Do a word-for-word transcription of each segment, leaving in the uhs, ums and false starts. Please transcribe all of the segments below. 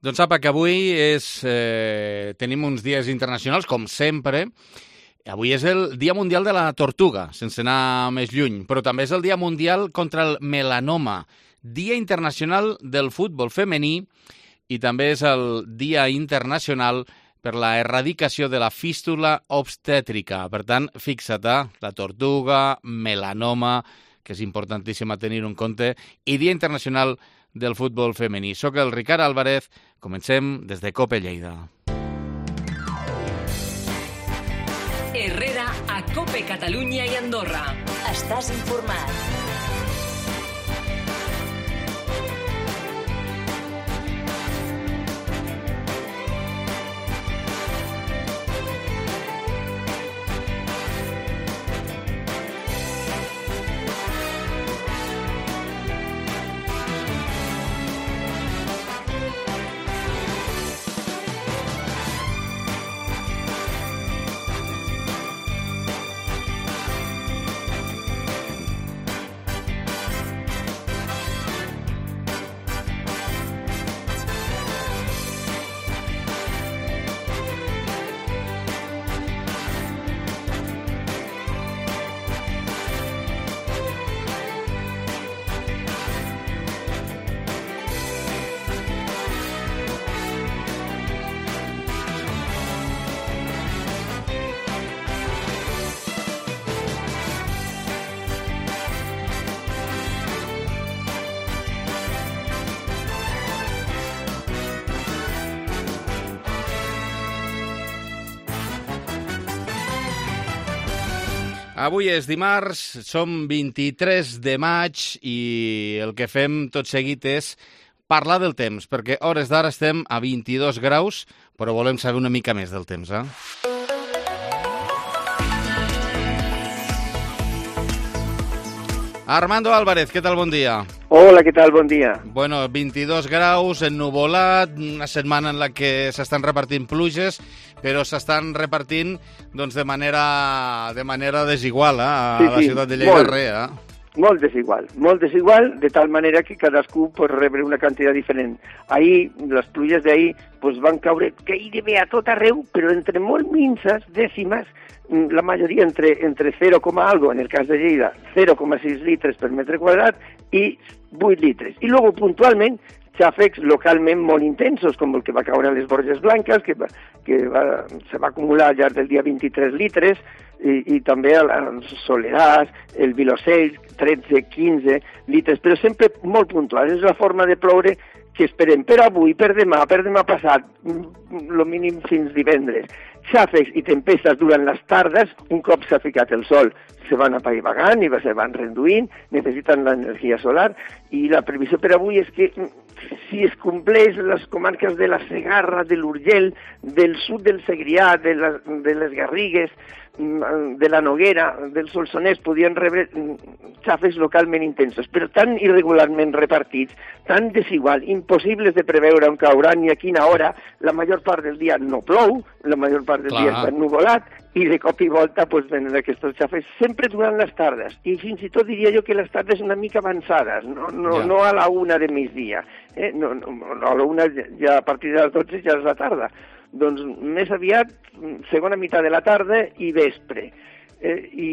Doncs sapa que avui és, eh, tenim uns dies internacionals, com sempre. Avui és el Dia Mundial de la Tortuga, sense anar més lluny, però també és el Dia Mundial contra el melanoma, Dia Internacional del Futbol Femení i també és el Dia Internacional per la erradicació de la fístula obstètrica. Per tant, fixa't, la tortuga, melanoma, que és importantíssim a tenir en compte, i Dia Internacional del Futbol Femení. Soc el Ricard Álvarez, comencem des de COPE Lleida. Herrera a COPE Catalunya i Andorra. Estàs informat. Avui és dimarts, som vint-i-tres de maig i el que fem tot seguit és parlar del temps, perquè a hores d'ara estem a vint-i-dos graus, però volem saber una mica més del temps, eh? Armando Álvarez, què tal? Bon dia. Hola, què tal? Bon dia. Bueno, vint-i-dos graus, ennuvolat, una setmana en la que s'estan repartint pluges, però s'estan repartint doncs, de manera de manera desigual, eh? A sí, la sí, ciutat de Lleida, molt, res, eh? Molt desigual, molt desigual, de tal manera que cadascú pot rebre una quantitat diferent. Ahir, les pluges d'ahir, pues, van caure gairebé a tot arreu, però entre molt minces, dècimes, la majoria entre, entre zero, algo, en el cas de Lleida, zero coma sis litres per metre quadrat i vuit litres. I luego, puntualment, xàfecs localment molt intensos, com el que va caure a les Borges Blanques, que, va, que va, se va acumular al llarg del dia vint-i-tres litres, i, i també als Soleràs, el Vilosell, tretze, quinze litres, però sempre molt puntual. És la forma de ploure que esperem per avui, per demà, per demà passat, el mínim fins divendres. Xàfecs i tempestes durant les tardes, un cop s'ha ficat el sol, se van apaivagant i se van reduint, necessiten l'energia solar, i la previsió per avui és que si es compleix les comarques de la Segarra, de l'Urgell, del sud del Segrià, de, la, de les Garrigues, de la Noguera, del Solsonès, podien rebre xàfecs localment intensos, però tan irregularment repartits, tan desigual, impossibles de preveure on cauran ni a quina hora. La major part del dia no plou, la major part del Clar. dia està ennuvolat, i de cop i volta pues, venen aquests xàfecs sempre durant les tardes, i fins i tot diria jo que les tardes una mica avançades, no, no, ja. no a la una de migdia, eh? no, no, no, a la una ja a partir de les dotze ja és la tarda, doncs més aviat segona meitat de la tarda i vespre, eh, i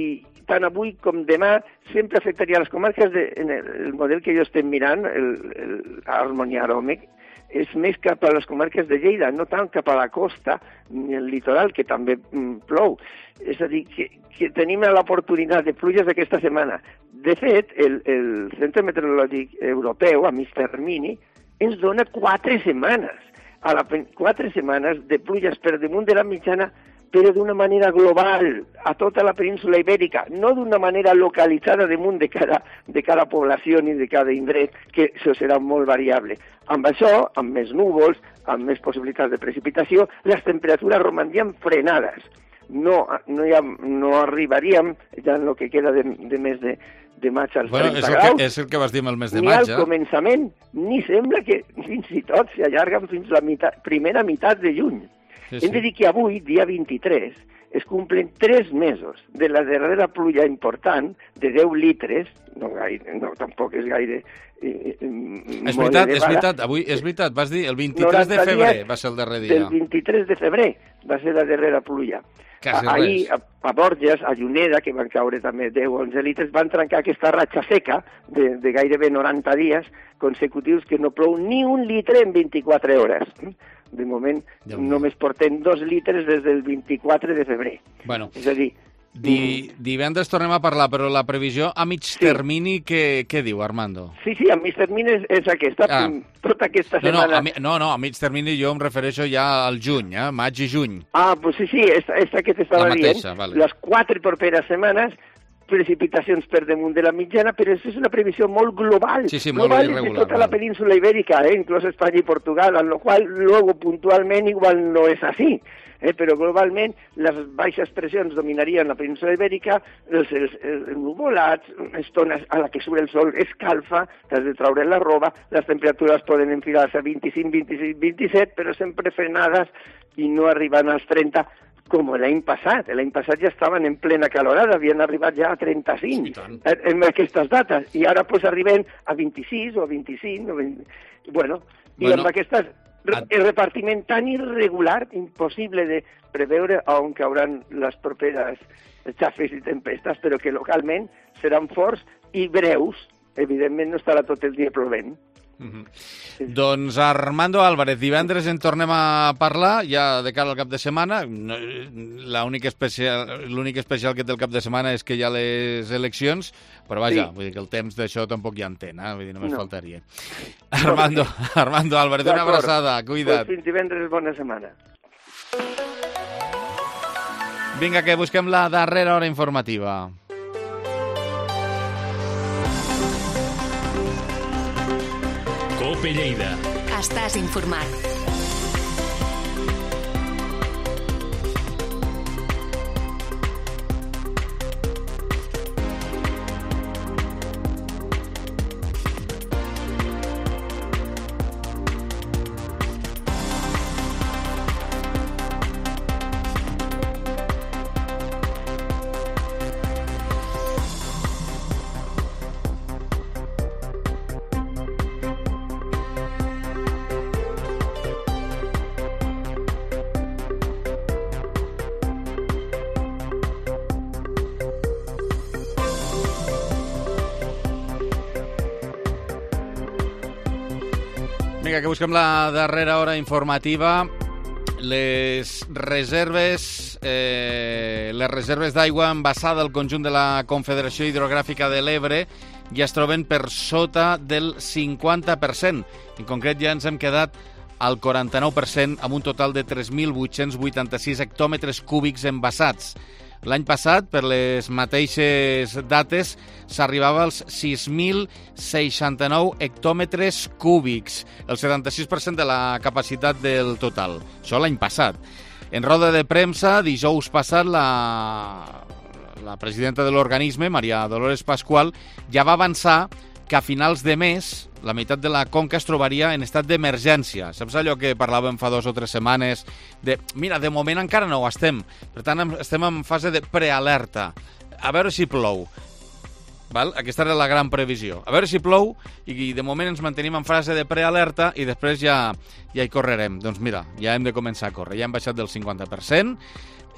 tant avui com demà sempre afectaria les comarques de, en el, el model que jo estem mirant, el, el Harmonia Aròmec, és més cap a les comarques de Lleida, no tant cap a la costa ni el litoral, que també mm, plou. És a dir, que, que tenim l'oportunitat de pluges aquesta setmana. De fet, el, el Centre Meteorològic Europeu, a mig termini, ens dona quatre setmanes, a la, quatre setmanes de pluges per damunt de la mitjana, però d'una manera global, a tota la península ibèrica, no d'una manera localitzada damunt de cada, de cada població ni de cada indret, que això serà molt variable. Amb això, amb més núvols, amb més possibilitats de precipitació, les temperatures romandrien frenades. No, no, ha, no arribaríem, ja en el que queda de, de mes de, de maig als bueno, trenta és el graus. Que, és el que vas dir el mes de ni maig, al eh? començament, ni sembla que fins i tot s'allarguen fins la meitat, primera meitat de juny. Sí, Hem de sí. dir que avui, dia vint-i-tres, es cumplen tres mesos de la darrera pluja important de deu litres, no, gaire, no tampoc és gaire... Eh, és veritat, és veritat, avui és veritat, vas dir el vint-i-tres de febrer va ser el darrer dia. El vint-i-tres de febrer va ser la darrera pluja. Ahir, a, a Borges, a Juneda, que van caure també deu o onze litres, van trencar aquesta ratxa seca de, de gairebé noranta dies consecutius que no plou ni un litre en vint-i-quatre hores. De moment ja només portem dos litres des del vint-i-quatre de febrer. Bueno. És a dir... Di, divendres tornem a parlar, però la previsió a mig sí. termini, què, què diu, Armando? Sí, sí, a mig termini és, és aquesta, ah. tota aquesta no, setmana... No, a mi, no, no, a mig termini jo em refereixo ja al juny, eh? Maig i juny. Ah, pues sí, sí, esta, esta que t'estava dient. Vale. Les quatre properes setmanes, precipitacions per damunt de la mitjana, però això és una previsió molt global. Sí, sí, molt global irregular. De tota la península ibèrica, eh? Inclús Espanya i Portugal, amb la qual luego puntualment igual no és així. Eh, però globalment les baixes pressions dominarien la península ibèrica, els, els, els nuvolats, estones a la que surt el sol escalfa, t'has de traure la roba, les temperatures poden enfilar-se a vint-i-cinc, vint-i-sis, vint-i-set, però sempre frenades i no arribant als trenta, com l'any passat. L'any passat ja estaven en plena calorada, havien arribat ja a trenta-cinc sí, en aquestes dates, i ara pues, arribem a vint-i-sis o a vint-i-cinc, o vint... bueno, i bueno. amb aquestes... El repartiment tan irregular, impossible de preveure on cauran les properes xafes i tempestes, però que localment seran forts i breus. Evidentment no estarà tot el dia plovent. Mm-hmm. Sí. Doncs Armando Álvarez, divendres en tornem a parlar, ja de cara al cap de setmana. L'únic especial, l'únic especial que té el cap de setmana és que hi ha les eleccions, però vaja, sí. Vull dir que el temps d'això tampoc ja en té, eh? Vull dir, només no. faltaria. Armando, Armando Álvarez, una abraçada, cuida't. Pues fins divendres, bona setmana. Vinga, que busquem la darrera hora informativa. Cope Lleida. Estàs informat. Vinga, que busquem la darrera hora informativa. Les reserves eh, les reserves d'aigua envasada al conjunt de la Confederació Hidrogràfica de l'Ebre ja es troben per sota del cinquanta per cent. En concret, ja ens hem quedat al quaranta-nou per cent amb un total de tres mil vuit-cents vuitanta-sis hectòmetres cúbics envasats. L'any passat, per les mateixes dates, s'arribava als sis mil seixanta-nou hectòmetres cúbics, el setanta-sis per cent de la capacitat del total. Això l'any passat. En roda de premsa, dijous passat, la, la presidenta de l'organisme, Maria Dolores Pascual, ja va avançar que a finals de mes la meitat de la conca es trobaria en estat d'emergència. Saps allò que parlàvem fa dues o tres setmanes? De, mira, de moment encara no ho estem. Per tant, estem en fase de prealerta. A veure si plou. Val? Aquesta era la gran previsió. A veure si plou i de moment ens mantenim en fase de prealerta i després ja, ja hi correrem. Doncs mira, ja hem de començar a córrer. Ja hem baixat del cinquanta per cent.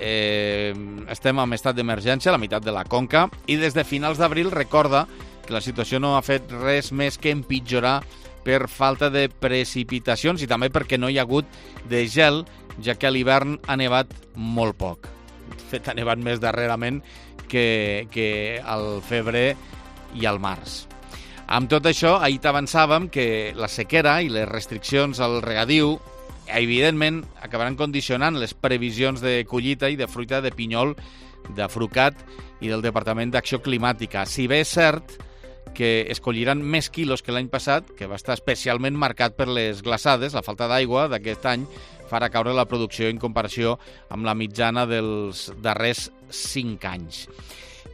Eh, estem en estat d'emergència, la meitat de la conca, i des de finals d'abril, recorda que la situació no ha fet res més que empitjorar per falta de precipitacions i també perquè no hi ha hagut de gel, ja que a l'hivern ha nevat molt poc. De fet, ha nevat més darrerament que, que al febrer i al març. Amb tot això, ahir t'avançàvem que la sequera i les restriccions al regadiu evidentment acabaran condicionant les previsions de collita i de fruita de pinyol d'Afrucat i del Departament d'Acció Climàtica. Si bé és cert que es colliran més quilos que l'any passat, que va estar especialment marcat per les glaçades, la falta d'aigua d'aquest any farà caure la producció en comparació amb la mitjana dels darrers cinc anys.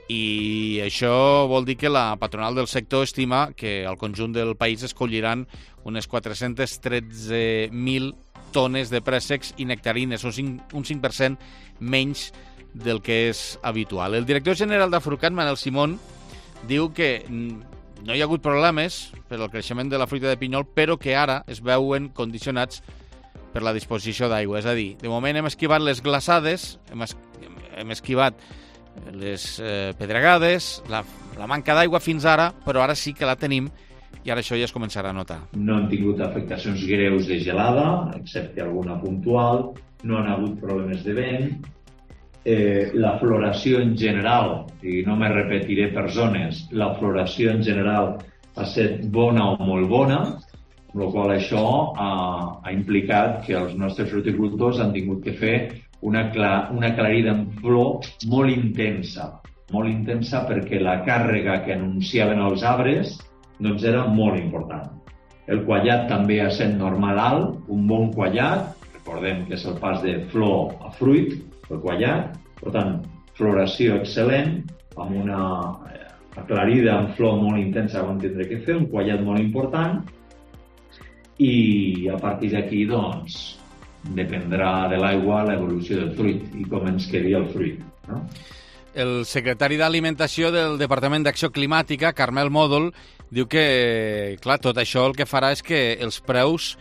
I això vol dir que la patronal del sector estima que al conjunt del país es colliran unes quatre-cents tretze mil tones de préssecs i nectarines, un cinc per cent menys del que és habitual. El director general d'Afrucat, Manel Simón, diu que no hi ha hagut problemes per al creixement de la fruita de pinyol, però que ara es veuen condicionats per la disposició d'aigua. És a dir, de moment hem esquivat les glaçades, hem, es, hem esquivat les eh, pedregades, la, la manca d'aigua fins ara, però ara sí que la tenim i ara això ja es començarà a notar. No han tingut afectacions greus de gelada, excepte alguna puntual, no han hagut problemes de vent. Eh, la floració en general, i no me repetiré per zones, la floració en general ha estat bona o molt bona, amb la qual això ha, ha implicat que els nostres fruticultors han tingut que fer una, cla, una aclarida en flor molt intensa, molt intensa perquè la càrrega que anunciaven els arbres doncs era molt important. El quallat també ha estat normal alt, un bon quallat, recordem que és el pas de flor a fruit, el quallat, per tant, floració excel·lent, amb una aclarida en flor molt intensa que vam tindre que fer, un quallat molt important, i a partir d'aquí, doncs, dependrà de l'aigua l'evolució del fruit i com ens quedi el fruit, no? El secretari d'Alimentació del Departament d'Acció Climàtica, Carmel Mòdol, diu que, clar, tot això el que farà és que els preus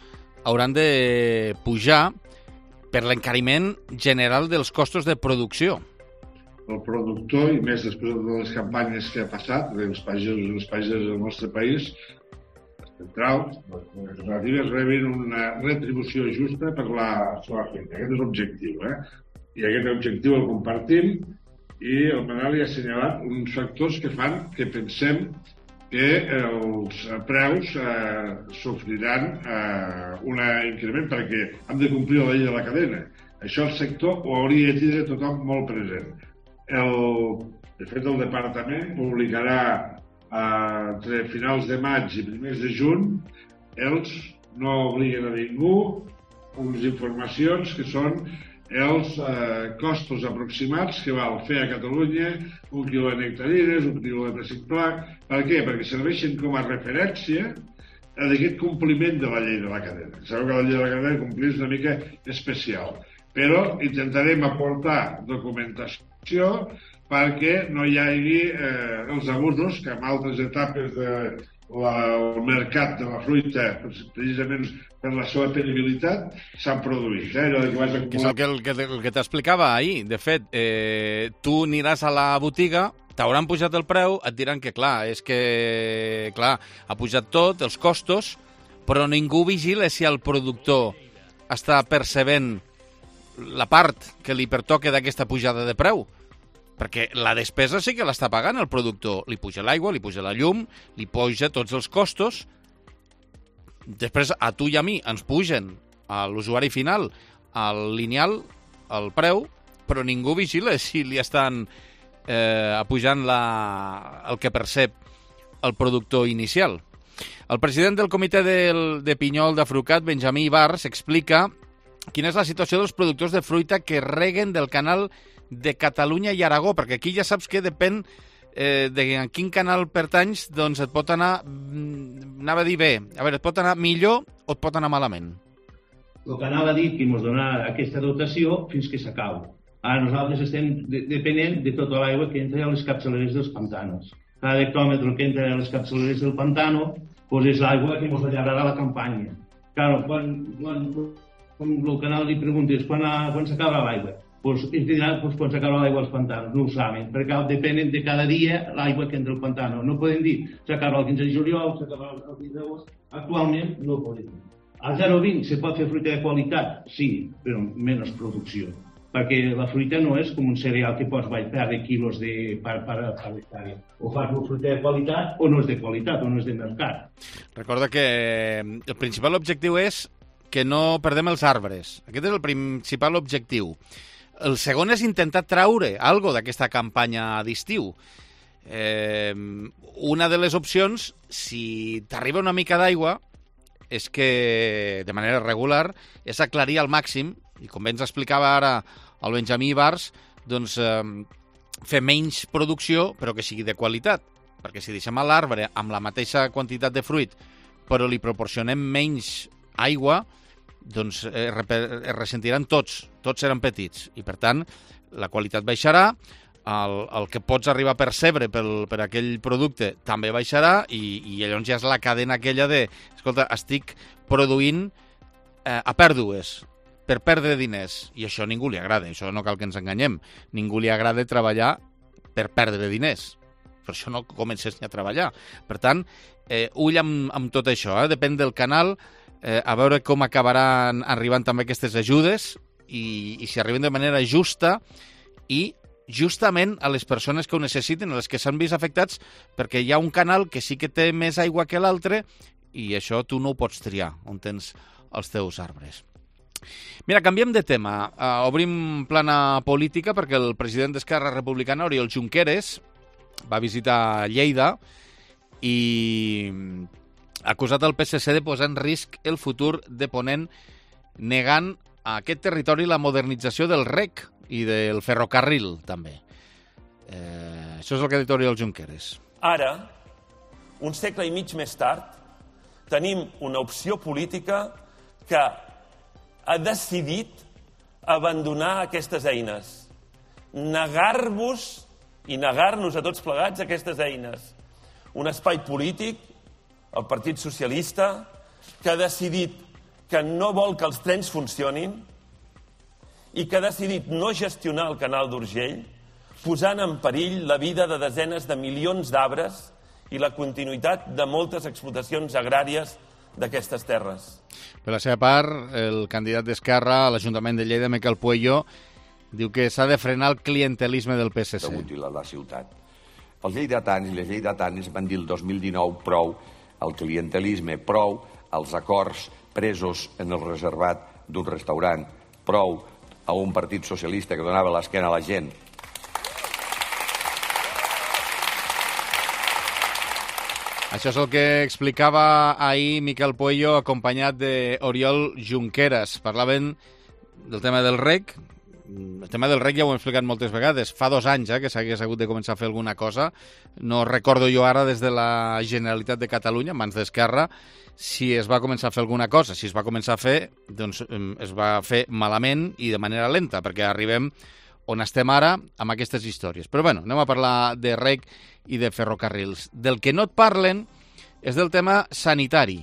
hauran de pujar per l'encariment general dels costos de producció. El productor, i més després de les campanyes que ha passat, els pagesos i les pageses del nostre país, centrals, les alternatives rebin una retribució justa per la seva feina. Aquest és l'objectiu, eh? I aquest objectiu el compartim i el Manel ha assenyalat uns factors que fan que pensem que els preus eh, sofriran eh, un increment perquè hem de complir la llei de la cadena. Això el sector ho hauria de tindre tothom molt present. El, de fet, el departament publicarà eh, entre finals de maig i primers de juny, els no obliguen a ningú unes informacions que són els eh, costos aproximats que val fer a Catalunya un quilo de nectarines, un quilo de pessic pla. Per què? Perquè serveixen com a referència d'aquest compliment de la llei de la cadena. Sabeu que la llei de la cadena complir és una mica especial, però intentarem aportar documentació perquè no hi hagi eh, els abusos que en altres etapes del de mercat de la fruita, precisament per la seva penibilitat, s'han produït. Eh? Allò que, vas que és el que, el que, el que t'explicava ahir. De fet, eh, tu aniràs a la botiga, t'hauran pujat el preu, et diran que, clar, és que, clar, ha pujat tot, els costos, però ningú vigila si el productor està percebent la part que li pertoca d'aquesta pujada de preu. Perquè la despesa sí que l'està pagant el productor. Li puja l'aigua, li puja la llum, li puja tots els costos. Després, a tu i a mi ens pugen a l'usuari final, al lineal, el preu, però ningú vigila si li estan eh, pujant la, el que percep el productor inicial. El president del comitè del, de Pinyol d'Afrucat, Benjamí Ibars, explica quina és la situació dels productors de fruita que reguen del canal de Catalunya i Aragó, perquè aquí ja saps que depèn eh, de en quin canal pertanys, doncs et pot anar, anava a dir bé, a veure, et pot anar millor o et pot anar malament. El que anava a dir que ens donarà aquesta dotació fins que s'acau. Ara nosaltres estem de depenent de tota l'aigua que entra a les capçaleres dels pantanos. Cada hectòmetre que entra a les capçaleres del pantano pues és l'aigua que ens allargarà la campanya. Claro, quan, quan, quan el canal li preguntes quan, quan s'acaba l'aigua, pues, ens diran pues, quan s'acaba l'aigua als pantanos, no ho saben, perquè depenen de cada dia l'aigua que entra al pantano. No podem dir s'acaba el quinze de juliol, s'acaba el quinze d'agost, actualment no ho podem dir. Al zero coma vint se pot fer fruita de qualitat? Sí, però menys producció, perquè la fruita no és com un cereal que pots perdre quilos de, per, per, per hectàrea. O fas una fruita de qualitat o no és de qualitat, o no és de mercat. Recorda que el principal objectiu és que no perdem els arbres. Aquest és el principal objectiu. El segon és intentar traure algo d'aquesta campanya d'estiu. Eh, una de les opcions, si t'arriba una mica d'aigua, és que, de manera regular, és aclarir al màxim, i com bé ens explicava ara el Benjamí Ibars, doncs eh, fer menys producció, però que sigui de qualitat. Perquè si deixem a l'arbre amb la mateixa quantitat de fruit, però li proporcionem menys aigua, doncs es, es ressentiran tots, tots seran petits, i per tant la qualitat baixarà, el, el que pots arribar a percebre pel, per aquell producte també baixarà, i, i llavors ja és la cadena aquella de, escolta, estic produint eh, a pèrdues, per perdre diners, i això a ningú li agrada, això no cal que ens enganyem, ningú li agrada treballar per perdre diners, per això no comences ni a treballar. Per tant, eh, ull amb, amb tot això, eh? Depèn del canal, eh, a veure com acabaran arribant també aquestes ajudes, i, i si arriben de manera justa, i justament a les persones que ho necessiten, a les que s'han vist afectats, perquè hi ha un canal que sí que té més aigua que l'altre, i això tu no ho pots triar, on tens els teus arbres. Mira, canviem de tema. Uh, obrim plana política perquè el president d'Esquerra Republicana, Oriol Junqueras, va visitar Lleida i ha acusat el P S C de posar en risc el futur de Ponent, negant a aquest territori la modernització del rec i del ferrocarril, també. Eh, això és el que ha dit Oriol Junqueras. Ara, un segle i mig més tard, tenim una opció política que ha decidit abandonar aquestes eines, negar-vos i negar-nos a tots plegats aquestes eines. Un espai polític, el Partit Socialista, que ha decidit que no vol que els trens funcionin i que ha decidit no gestionar el canal d'Urgell, posant en perill la vida de desenes de milions d'arbres i la continuïtat de moltes explotacions agràries d'aquestes terres. Per la seva part, el candidat d'Esquerra a l'Ajuntament de Lleida, Miquel Pueyo, diu que s'ha de frenar el clientelisme del P S C. Útil a la ciutat. Els lleidatans i les lleidatanes van dir el dos mil dinou prou al clientelisme, prou als acords presos en el reservat d'un restaurant, prou a un partit socialista que donava l'esquena a la gent. Això és el que explicava ahir Miquel Pueyo, acompanyat d'Oriol Junqueras. Parlaven del tema del rec. El tema del rec ja ho hem explicat moltes vegades. Fa dos anys eh, que s'hagués hagut de començar a fer alguna cosa. No recordo jo ara des de la Generalitat de Catalunya, en mans d'Esquerra, si es va començar a fer alguna cosa. Si es va començar a fer, doncs es va fer malament i de manera lenta, perquè arribem on estem ara amb aquestes històries. Però bueno, anem a parlar de rec i de ferrocarrils. Del que no et parlen és del tema sanitari.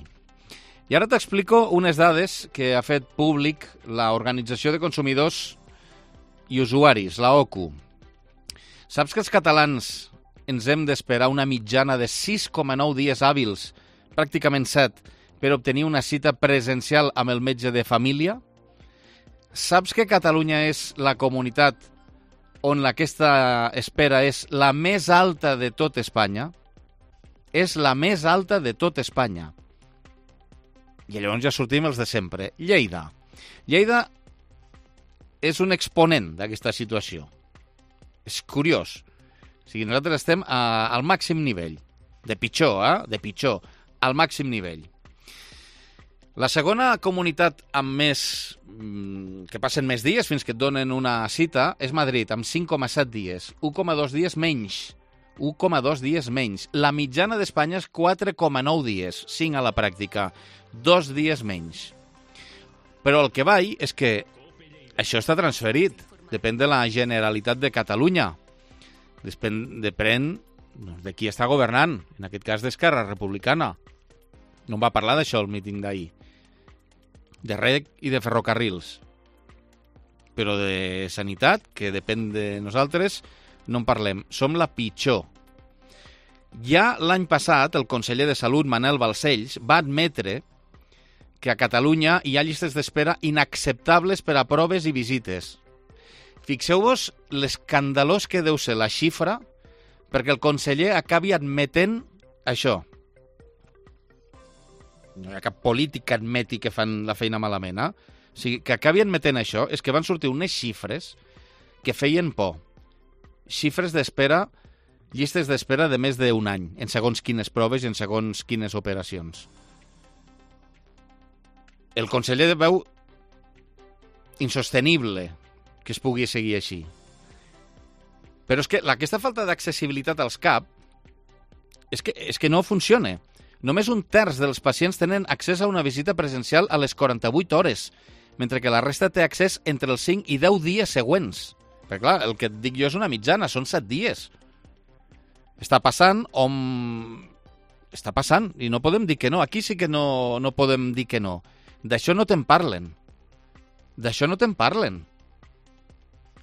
I ara t'explico unes dades que ha fet públic l'Organització de Consumidors i Usuaris, la O C U. Saps que els catalans ens hem d'esperar una mitjana de sis coma nou dies hàbils, pràcticament set, per obtenir una cita presencial amb el metge de família? Saps que Catalunya és la comunitat on aquesta espera és la més alta de tot Espanya? És la més alta de tot Espanya. I llavors ja sortim els de sempre. Lleida. Lleida és un exponent d'aquesta situació. És curiós. O sigui, nosaltres estem a, al màxim nivell. De pitjor, eh? De pitjor. Al màxim nivell. La segona comunitat amb més, que passen més dies fins que et donen una cita és Madrid, amb cinc coma set dies. un coma dos dies menys. un coma dos dies menys. La mitjana d'Espanya és quatre coma nou dies. cinc a la pràctica. Dos dies menys. Però el que vaig és que això està transferit. Depèn de la Generalitat de Catalunya. Depèn, depèn de qui està governant. En aquest cas d'Esquerra Republicana. No em va parlar d'això el míting d'ahir. De rec i de ferrocarrils. Però de sanitat, que depèn de nosaltres, no en parlem. Som la pitjor. Ja l'any passat, el conseller de Salut, Manel Balcells, va admetre que a Catalunya hi ha llistes d'espera inacceptables per a proves i visites. Fixeu-vos l'escandalós que deu ser la xifra perquè el conseller acabi admetent això. No hi ha cap polític que admeti que fan la feina malament, eh? O sigui, que acabi admetent això és que van sortir unes xifres que feien por. Xifres d'espera, llistes d'espera de més d'un any, en segons quines proves i en segons quines operacions. El conseller veu insostenible que es pugui seguir així. Però és que aquesta falta d'accessibilitat als C A P és que, és que no funciona. Només un terç dels pacients tenen accés a una visita presencial a les quaranta-vuit hores, mentre que la resta té accés entre els cinc i deu dies següents. Perquè, clar, el que et dic jo és una mitjana, són set dies. Està passant on... Està passant, i no podem dir que no. Aquí sí que no, no podem dir que no. D'això no te'n parlen. D'això no te'n parlen.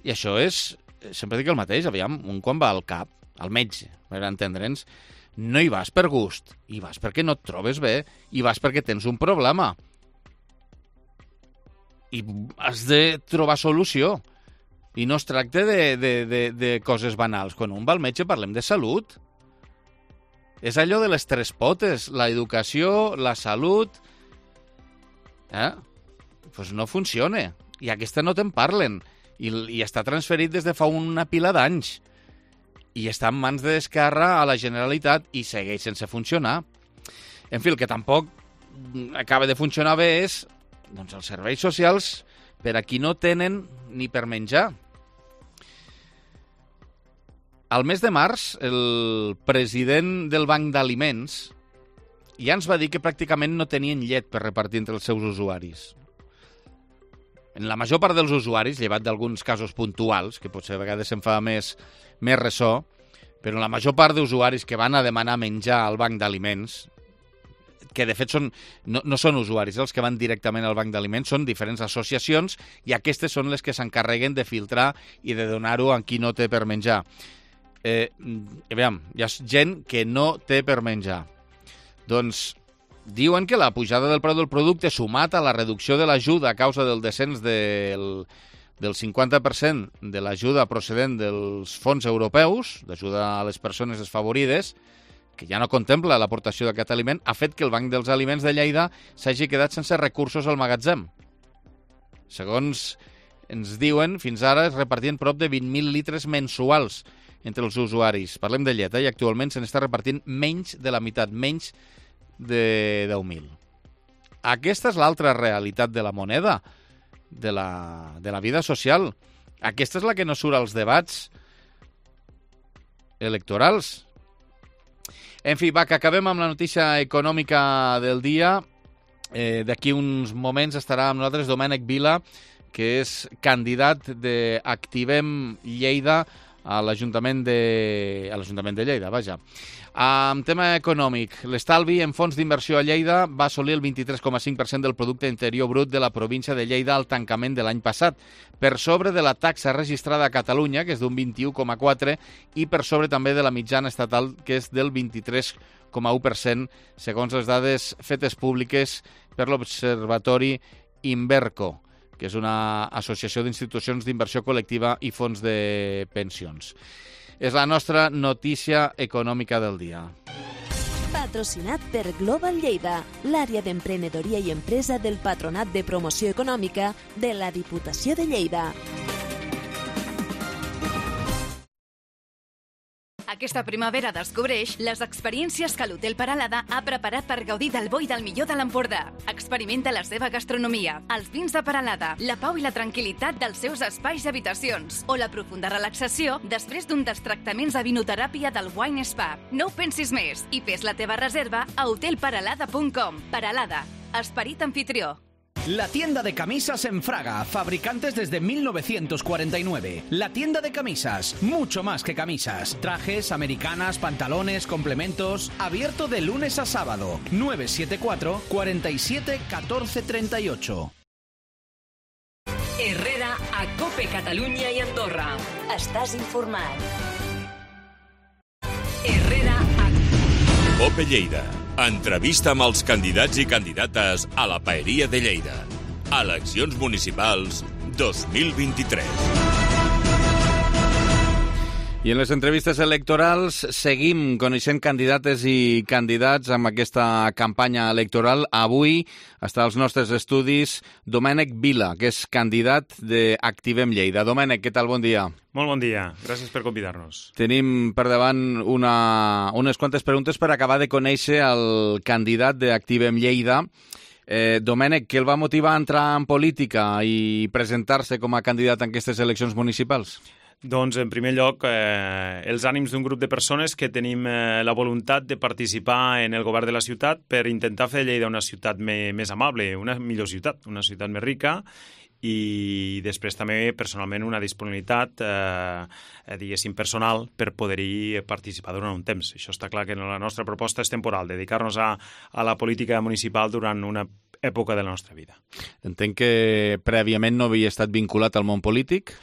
I això és... Sempre dic el mateix, aviam, un quan va al cap, al metge, per entendre'ns, no hi vas per gust, hi vas perquè no et trobes bé, hi vas perquè tens un problema. I has de trobar solució. I no es tracta de, de, de, de coses banals. Quan un va al metge parlem de salut. És allò de les tres potes, l'educació, la salut... Eh? Pues no funciona. I aquesta no te'n parlen. I, I està transferit des de fa una pila d'anys. I està en mans d'Esquerra a la Generalitat i segueix sense funcionar. En fi, el que tampoc acaba de funcionar bé és doncs, els serveis socials per a qui no tenen ni per menjar. Al mes de març, el president del Banc d'Aliments ja ens va dir que pràcticament no tenien llet per repartir entre els seus usuaris. En la major part dels usuaris, llevat d'alguns casos puntuals, que potser a vegades se'n fa més, més ressò, però la major part d'usuaris que van a demanar menjar al Banc d'Aliments, que de fet són, no, no són usuaris, els que van directament al Banc d'Aliments, són diferents associacions i aquestes són les que s'encarreguen de filtrar i de donar-ho a qui no té per menjar. Eh, aviam, hi ha gent que no té per menjar. Doncs diuen que la pujada del preu del producte sumat a la reducció de l'ajuda a causa del descens del, del cinquanta per cent de l'ajuda procedent dels fons europeus, d'ajuda a les persones desfavorides, que ja no contempla l'aportació d'aquest aliment, ha fet que el Banc dels Aliments de Lleida s'hagi quedat sense recursos al magatzem. Segons ens diuen, fins ara es repartien prop de vint mil litres mensuals entre els usuaris. Parlem de llet, eh? I actualment se n'està repartint menys de la meitat, menys de deu mil. Aquesta és l'altra realitat de la moneda, de la, de la vida social. Aquesta és la que no surt als debats electorals. En fi, va, que acabem amb la notícia econòmica del dia. Eh, D'aquí uns moments estarà amb nosaltres Domènec Vila, que és candidat d'Activem Lleida a l'Ajuntament de... a l'Ajuntament de Lleida, vaja. En tema econòmic, l'estalvi en fons d'inversió a Lleida va assolir el vint-i-tres coma cinc per cent del producte interior brut de la província de Lleida al tancament de l'any passat, per sobre de la taxa registrada a Catalunya, que és d'un vint-i-u coma quatre, i per sobre també de la mitjana estatal, que és del vint-i-tres coma u per cent, segons les dades fetes públiques per l'Observatori Inverco, que és una associació d'institucions d'inversió col·lectiva i fons de pensions. És la nostra notícia econòmica del dia. Patrocinat per Global Lleida, l'àrea d'emprenedoria i empresa del Patronat de Promoció Econòmica de la Diputació de Lleida. Aquesta primavera descobreix les experiències que l'Hotel Peralada ha preparat per gaudir del bo i del millor de l'Empordà. Experimenta la seva gastronomia, els vins de Peralada, la pau i la tranquil·litat dels seus espais i habitacions, o la profunda relaxació després d'un dels tractaments de vinoteràpia del Wine Spa. No ho pensis més i fes la teva reserva a hotel peralada punt com. Peralada, esperit anfitrió. La tienda de camisas en Fraga, fabricantes desde mil novecientos cuarenta y nueve. La tienda de camisas, mucho más que camisas. Trajes, americanas, pantalones, complementos. Abierto de lunes a sábado. nueve siete cuatro, cuatro siete, uno cuatro tres ocho. Herrera a Cope Catalunya i Andorra. Estàs informat. Herrera a... Cope Lleida. Entrevista amb els candidats i candidates a la Paeria de Lleida. Eleccions municipals dos mil vint-i-tres. I en les entrevistes electorals seguim coneixent candidates i candidats amb aquesta campanya electoral. Avui està als nostres estudis Domènec Vila, que és candidat d'Activem Lleida. Domènec, què tal? Bon dia. Molt bon dia. Gràcies per convidar-nos. Tenim per davant una, unes quantes preguntes per acabar de conèixer el candidat d'Activem Lleida. Eh, Domènec, què el va motivar a entrar en política i presentar-se com a candidat en aquestes eleccions municipals? Doncs, en primer lloc, eh, els ànims d'un grup de persones que tenim eh, la voluntat de participar en el govern de la ciutat per intentar fer de Lleida una ciutat me, més amable, una millor ciutat, una ciutat més rica, i després també personalment una disponibilitat eh, diguéssim personal per poder-hi participar durant un temps. Això està clar que la nostra proposta és temporal, dedicar-nos a, a la política municipal durant una època de la nostra vida. Entenc que prèviament no havia estat vinculat al món polític?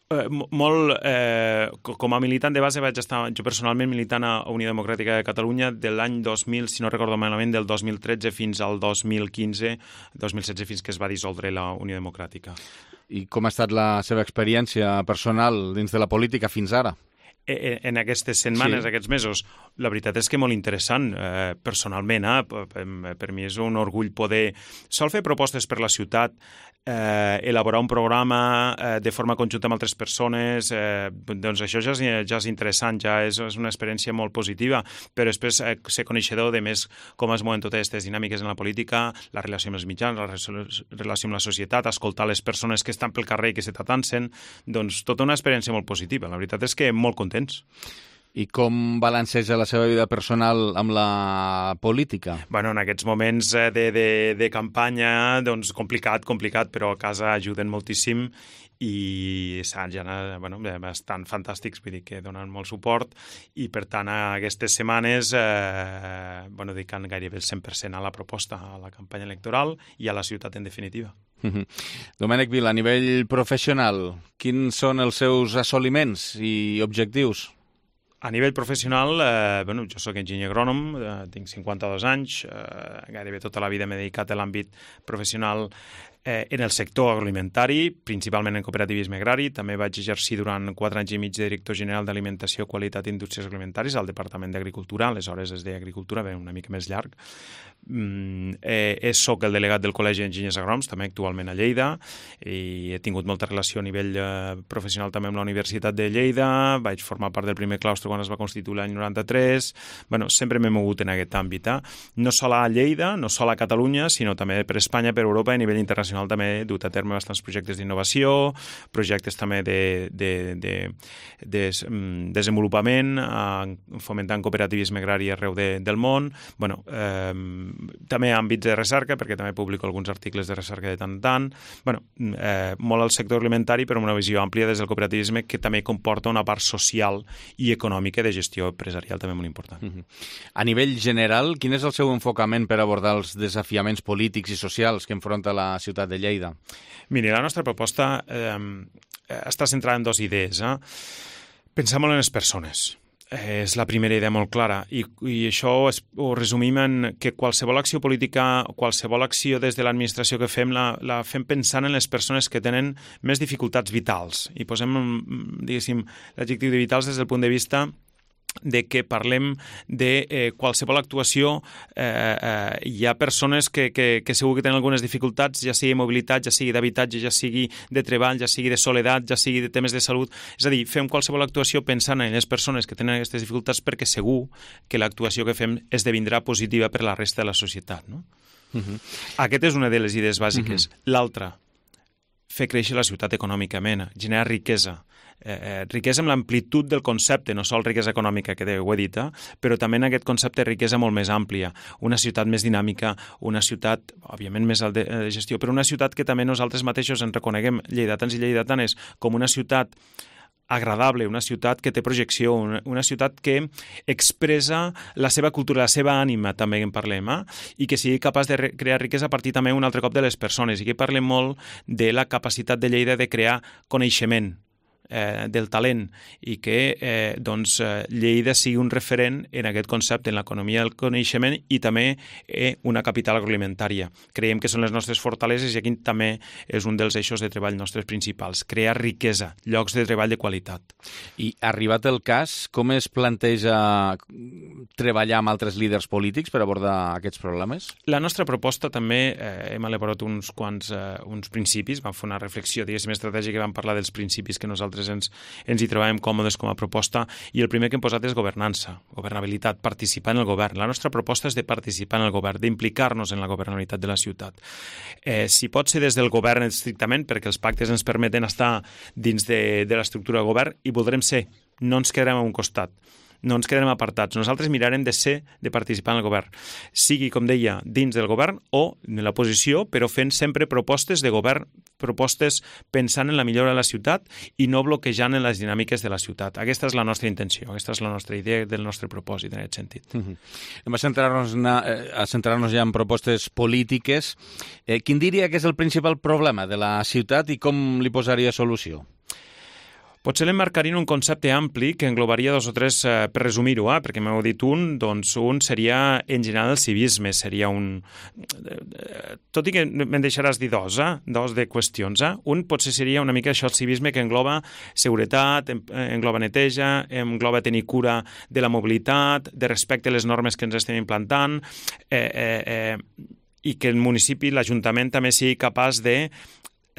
Eh, molt, eh, com a militant de base vaig estar jo personalment militant a Unió Democràtica de Catalunya de l'any dos mil, si no recordo malament, del dos mil tretze fins al dos mil quinze, dos mil setze fins que es va dissoldre la Unió Democràtica. I com ha estat la seva experiència personal dins de la política fins ara? En aquestes setmanes, sí. aquests mesos, la veritat és que molt interessant. Eh, personalment, eh, per, per mi és un orgull poder sol fer propostes per la ciutat, eh, elaborar un programa eh, de forma conjunta amb altres persones, eh, doncs això ja és, ja és interessant, ja és, és una experiència molt positiva, però després eh, ser coneixedor de més com es mouen totes aquestes dinàmiques en la política, la relació amb els mitjans, la relació amb la societat, escoltar les persones que estan pel carrer i que se t'atansen, doncs tota una experiència molt positiva. La veritat és que molt contents. I com balanceja la seva vida personal amb la política? Bueno, en aquests moments de, de, de campanya, doncs complicat, complicat, però a casa ajuden moltíssim i ja, bueno, estan fantàstics, vull dir que donen molt suport i per tant aquestes setmanes eh, bueno, dedicant gairebé el cent per cent a la proposta, a la campanya electoral i a la ciutat en definitiva. Uh-huh. Domènec Vila, a nivell professional, quins són els seus assoliments i objectius? A nivell professional, eh, bueno, jo soc enginyer agrònom, eh, tinc cinquanta-dos anys, eh, gairebé tota la vida m'he dedicat a l'àmbit professional eh, en el sector agroalimentari, principalment en cooperativisme agrari. També vaig exercir durant quatre anys i mig de director general d'Alimentació, Qualitat i Indústries Agroalimentàries al Departament d'Agricultura, aleshores es deia Agricultura, bé, una mica més llarg. Mm, eh, soc el delegat del Col·legi d'Enginyers Agrònoms, també actualment a Lleida, i he tingut molta relació a nivell eh, professional també amb la Universitat de Lleida, vaig formar part del primer claustre quan es va constituir l'any noranta-tres, bueno, sempre m'he mogut en aquest àmbit, eh? No sol a Lleida, no sol a Catalunya, sinó també per Espanya, per Europa i a nivell internacional també he dut a terme bastants projectes d'innovació, projectes també de, de, de, de, de desenvolupament, eh, fomentant cooperativisme agrari arreu de, del món, bueno, eh, també àmbits de recerca, perquè també publico alguns articles de recerca de tant en tant, bueno, eh, molt al sector alimentari, però amb una visió àmplia des del cooperativisme que també comporta una part social i econòmica de gestió empresarial també molt important. Uh-huh. A nivell general, quin és el seu enfocament per abordar els desafiaments polítics i socials que enfronta la ciutat de Lleida? Miri, la nostra proposta eh, està centrada en dues idees. Eh? Pensar molt en les persones. És la primera idea molt clara i, i això es, ho resumim en que qualsevol acció política, qualsevol acció des de l'administració que fem la, la fem pensant en les persones que tenen més dificultats vitals i posem, diguéssim, l'adjectiu de vitals des del punt de vista de que parlem de eh, qualsevol actuació, eh, eh, hi ha persones que, que, que segur que tenen algunes dificultats, ja sigui mobilitat, ja sigui d'habitatge, ja sigui de treball, ja sigui de soledat, ja sigui de temes de salut. És a dir, fem qualsevol actuació pensant en les persones que tenen aquestes dificultats perquè segur que l'actuació que fem esdevindrà positiva per la resta de la societat. No? Uh-huh. Aquesta és una de les idees bàsiques. Uh-huh. L'altra, fer créixer la ciutat econòmicament, generar riquesa. Eh, eh, riquesa amb l'amplitud del concepte, no sol riquesa econòmica, que ho he dit, eh? Però també en aquest concepte riquesa molt més àmplia, una ciutat més dinàmica, una ciutat, òbviament, més de, de gestió, però una ciutat que també nosaltres mateixos en reconeguem, lleidatans i lleidatanes, com una ciutat agradable, una ciutat que té projecció, una, una ciutat que expressa la seva cultura, la seva ànima, també en parlem, eh? I que sigui capaç de crear riquesa a partir també un altre cop de les persones, i que parlem molt de la capacitat de Lleida de crear coneixement, Eh, del talent i que eh, doncs, eh, Lleida sigui un referent en aquest concepte, en l'economia del coneixement i també eh, una capital agroalimentària. Creiem que són les nostres fortaleses i aquí també és un dels eixos de treball nostres principals, crear riquesa, llocs de treball de qualitat. I arribat el cas, com es planteja treballar amb altres líders polítics per abordar aquests problemes? La nostra proposta també, eh, hem elaborat uns quants eh, uns principis, vam fer una reflexió, diguéssim, estratègica, vam parlar dels principis que nosaltres nosaltres ens, ens hi trobem còmodes com a proposta, i el primer que hem posat és governança, governabilitat, participar en el govern. La nostra proposta és de participar en el govern, d'implicar-nos en la governabilitat de la ciutat. Eh, si pot ser des del govern estrictament, perquè els pactes ens permeten estar dins de, de l'estructura de govern, i voldrem ser, no ens quedarem a un costat. No ens quedarem apartats. Nosaltres mirarem de ser, de participar en el govern. Sigui, com deia, dins del govern o en l'oposició, però fent sempre propostes de govern, propostes pensant en la millora de la ciutat i no bloquejant en les dinàmiques de la ciutat. Aquesta és la nostra intenció, aquesta és la nostra idea del nostre propòsit en aquest sentit. Uh-huh. Hem a centrar-nos, a centrar-nos ja en propostes polítiques. Eh, quin diria que és el principal problema de la ciutat i com li posaria solució? Potser l'emmarcaria en un concepte ampli que englobaria dos o tres, eh, per resumir-ho, eh, perquè m'heu dit un, doncs un seria en general el civisme, seria un... Tot i que me'n deixaràs dir dos, eh, dos de qüestions. Eh? Un potser seria una mica això, el civisme que engloba seguretat, engloba neteja, engloba tenir cura de la mobilitat, de respecte a les normes que ens estem implantant, eh, eh, eh, i que el municipi, l'Ajuntament, també sigui capaç de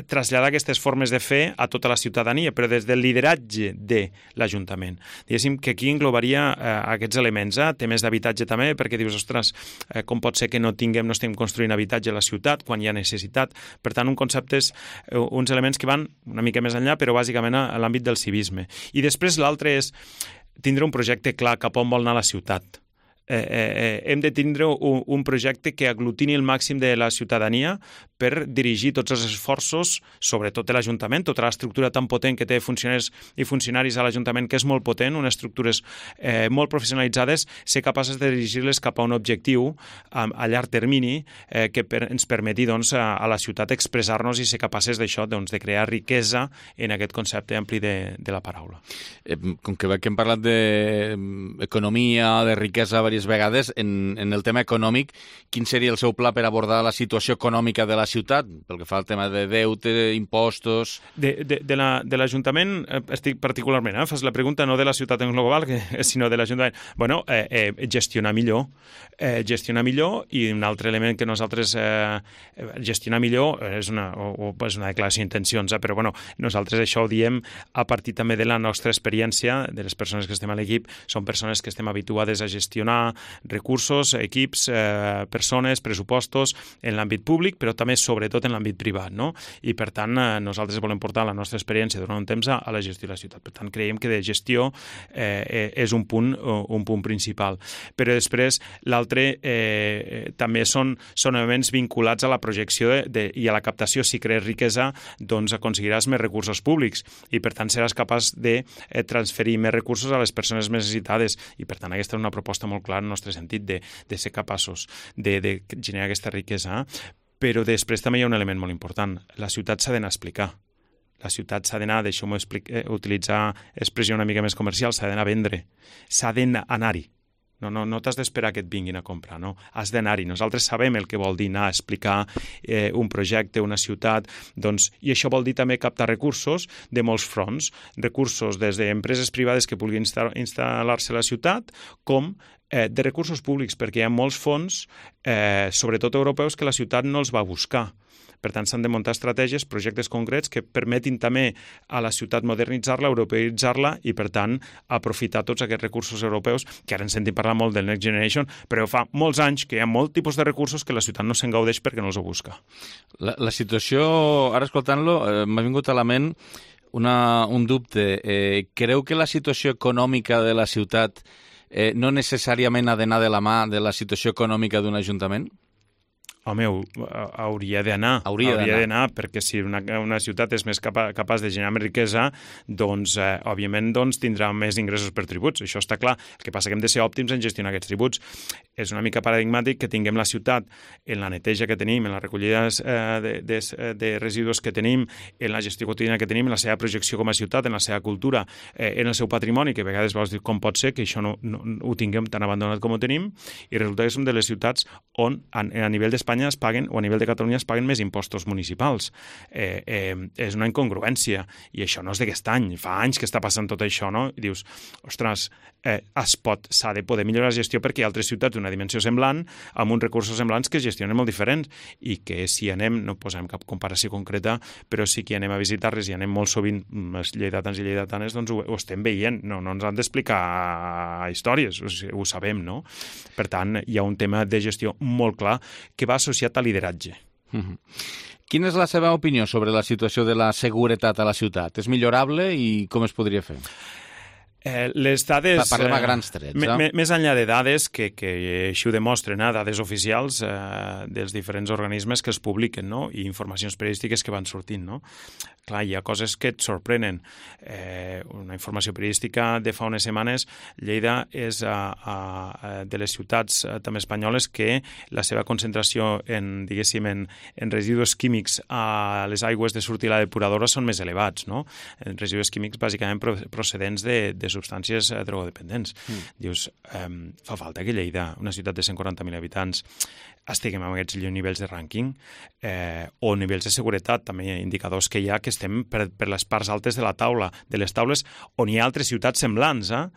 traslladar aquestes formes de fer a tota la ciutadania, però des del lideratge de l'Ajuntament. Diguéssim que aquí englobaria eh, aquests elements, eh? Temes d'habitatge també, perquè dius, ostres, eh, com pot ser que no tinguem, no estem construint habitatge a la ciutat quan hi ha necessitat? Per tant, un concepte és eh, uns elements que van una mica més enllà, però bàsicament a, a l'àmbit del civisme. I després l'altre és tindre un projecte clar cap on vol anar la ciutat. Eh, eh, hem de tindre un, un projecte que aglutini el màxim de la ciutadania per dirigir tots els esforços, sobretot de l'Ajuntament, tota l'estructura tan potent que té funcionaris i funcionaris a l'Ajuntament, que és molt potent, unes estructures eh, molt professionalitzades, ser capaces de dirigir-les cap a un objectiu a, a llarg termini eh, que per, ens permeti doncs, a, a la ciutat expressar-nos i ser capaces d'això, doncs, de crear riquesa en aquest concepte ampli de, de la paraula. Eh, com que, que hem parlat d'economia, de riquesa diverses vegades, en, en el tema econòmic, quin seria el seu pla per abordar la situació econòmica de la ciutat, pel que fa al tema de deute, impostos... De, de, de l'Ajuntament, la, estic particularment, eh, fas la pregunta no de la ciutat en global, que, sinó de l'Ajuntament. Bueno, eh, eh, gestionar millor. Eh, gestionar millor, i un altre element que nosaltres... Eh, gestionar millor és una, o, o és una declaració d'intencions, eh, però bueno, nosaltres això ho diem a partir també de la nostra experiència, de les persones que estem a l'equip, són persones que estem habituades a gestionar recursos, equips, eh, persones, pressupostos en l'àmbit públic, però també sobretot en l'àmbit privat, no? I per tant eh, nosaltres volem portar la nostra experiència durant un temps a, a la gestió de la ciutat. Per tant, creiem que de gestió eh, és un punt, un punt principal. Però després l'altre eh, també són, són elements vinculats a la projecció de, de, i a la captació. Si crees riquesa, doncs aconseguiràs més recursos públics i per tant seràs capaç de eh, transferir més recursos a les persones més necessitades, i per tant aquesta és una proposta molt clara en el nostre sentit de, de ser capaços de, de generar aquesta riquesa. Però després també hi ha un element molt important. La ciutat s'ha d'anar a explicar. La ciutat s'ha d'anar, deixeu-m'ho eh, utilitzar expressió una mica més comercial, s'ha d'anar a vendre. S'ha d'anar-hi. No, no, no t'has d'esperar que et vinguin a comprar, no. Has d'anar-hi. Nosaltres sabem el que vol dir anar a explicar eh, un projecte, una ciutat, doncs, i això vol dir també captar recursos de molts fronts, recursos des d'empreses privades que vulguin instal·lar-se a la ciutat, com eh, de recursos públics, perquè hi ha molts fons, eh, sobretot europeus, que la ciutat no els va buscar. Per tant, s'han de muntar estratègies, projectes concrets que permetin també a la ciutat modernitzar-la, europeïtzar-la i, per tant, aprofitar tots aquests recursos europeus, que ara ens sentim parlar molt del Next Generation, però fa molts anys que hi ha molt tipus de recursos que la ciutat no se'n gaudeix perquè no els ho busca. La, la situació, ara escoltant-lo, eh, m'ha vingut a la ment una, un dubte. Eh, creu que la situació econòmica de la ciutat eh, no necessàriament ha d'anar de la mà de la situació econòmica d'un ajuntament? Home, hauria d'anar, hauria d'anar, perquè si una, una ciutat és més capa, capaç de generar més riquesa, doncs, eh, òbviament, doncs, tindrà més ingressos per tributs, això està clar. El que passa que hem de ser òptims en gestionar aquests tributs. És una mica paradigmàtic que tinguem la ciutat en la neteja que tenim, en la recollida eh, de, de, de residus que tenim, en la gestió quotidiana que tenim, en la seva projecció com a ciutat, en la seva cultura, eh, en el seu patrimoni, que a vegades vols dir com pot ser que això no, no, no ho tinguem tan abandonat com ho tenim, i resulta que som de les ciutats on, a, a nivell d'Espanya, Espanya es paguen, o a nivell de Catalunya es paguen més impostos municipals. Eh, eh, és una incongruència, i això no és d'aquest any, fa anys que està passant tot això, no? I dius, ostres, eh, es pot, s'ha de poder millorar la gestió perquè hi ha altres ciutats d'una dimensió semblant, amb uns recursos semblants que es gestionen molt diferents, i que si anem, no posem cap comparació concreta, però sí que anem a visitar-les i anem molt sovint, els lleidatans i lleidatanes, doncs ho, ho estem veient, no, no ens han d'explicar històries, o sigui, ho sabem, no? Per tant, hi ha un tema de gestió molt clar que va associat a lideratge. Mm-hmm. Quina és la seva opinió sobre la situació de la seguretat a la ciutat? És millorable i com es podria fer? Eh, les dades... Parlem a grans trets. Eh? Més enllà de dades, que, que així ho demostren, eh? dades oficials eh, dels diferents organismes que es publiquen, no? I informacions periodístiques que van sortint, no? Clar, hi ha coses que et sorprenen. Eh, una informació periodística de fa unes setmanes, Lleida és a, a, a, de les ciutats a, també espanyoles que la seva concentració en, diguéssim, en, en residus químics a les aigües de sortir la depuradora són més elevats, no? En residus químics bàsicament procedents de, de substàncies drogodependents. Mm. Dius, eh, fa falta que Lleida, una ciutat de cent quaranta mil habitants, estiguem amb aquests nivells de rànquing eh, o nivells de seguretat, també hi ha indicadors que hi ha que estem per, per les parts altes de la taula, de les taules on hi ha altres ciutats semblants, eh?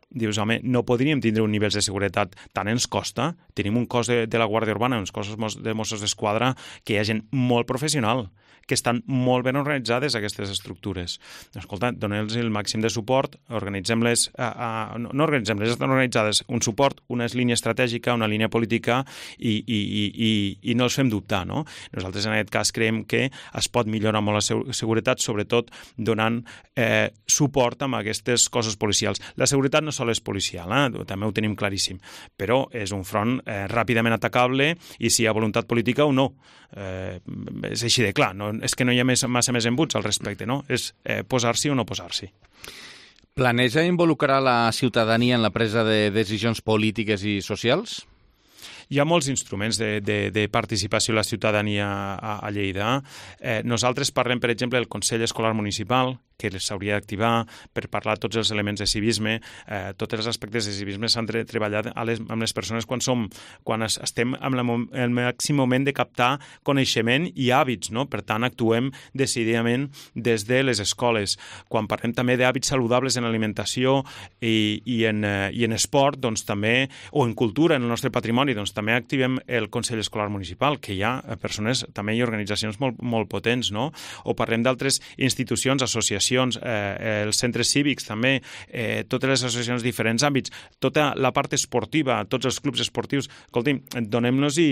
Dius, home, no podríem tindre un nivell de seguretat, tant ens costa, tenim un cos de, de la Guàrdia Urbana, uns cossos de Mossos d'Esquadra, que hi ha gent molt professional, que estan molt ben organitzades aquestes estructures. Escolta, doneu-los el màxim de suport, organitzem-les, a, a, no organitzem-les, estan organitzades, un suport, una línia estratègica, una línia política i, i, i, i, i no els fem dubtar, no? Nosaltres en aquest cas creiem que es pot millorar molt la seguretat, sobretot donant eh, suport amb aquestes coses policials. La seguretat no sols és policial, eh? També ho tenim claríssim, però és un front eh, ràpidament atacable i si hi ha voluntat política o no. Eh, és així de clar, no, és que no hi ha més, massa més embuts al respecte, no? És eh, posar-s'hi o no posar-s'hi. Planeja involucrar la ciutadania en la presa de decisions polítiques i socials? Hi ha molts instruments de, de, de participació de la ciutadania a, a Lleida. Eh, nosaltres parlem, per exemple, del Consell Escolar Municipal, que s'hauria d'activar per parlar de tots els elements de civisme. Eh, tots els aspectes de civisme s'han de treballar a les, amb les persones quan, som, quan es, estem en la, el màxim moment de captar coneixement i hàbits, no? Per tant, actuem decididament des de les escoles. Quan parlem també d'hàbits saludables en alimentació i, i, en, eh, i en esport, doncs també, o en cultura, en el nostre patrimoni, doncs també activem el Consell Escolar Municipal, que hi ha persones, també hi ha organitzacions molt, molt potents, no? O parlem d'altres institucions, associacions, eh, els centres cívics també, eh, totes les associacions de diferents àmbits, tota la part esportiva, tots els clubs esportius. Escolti'm, donem-nos i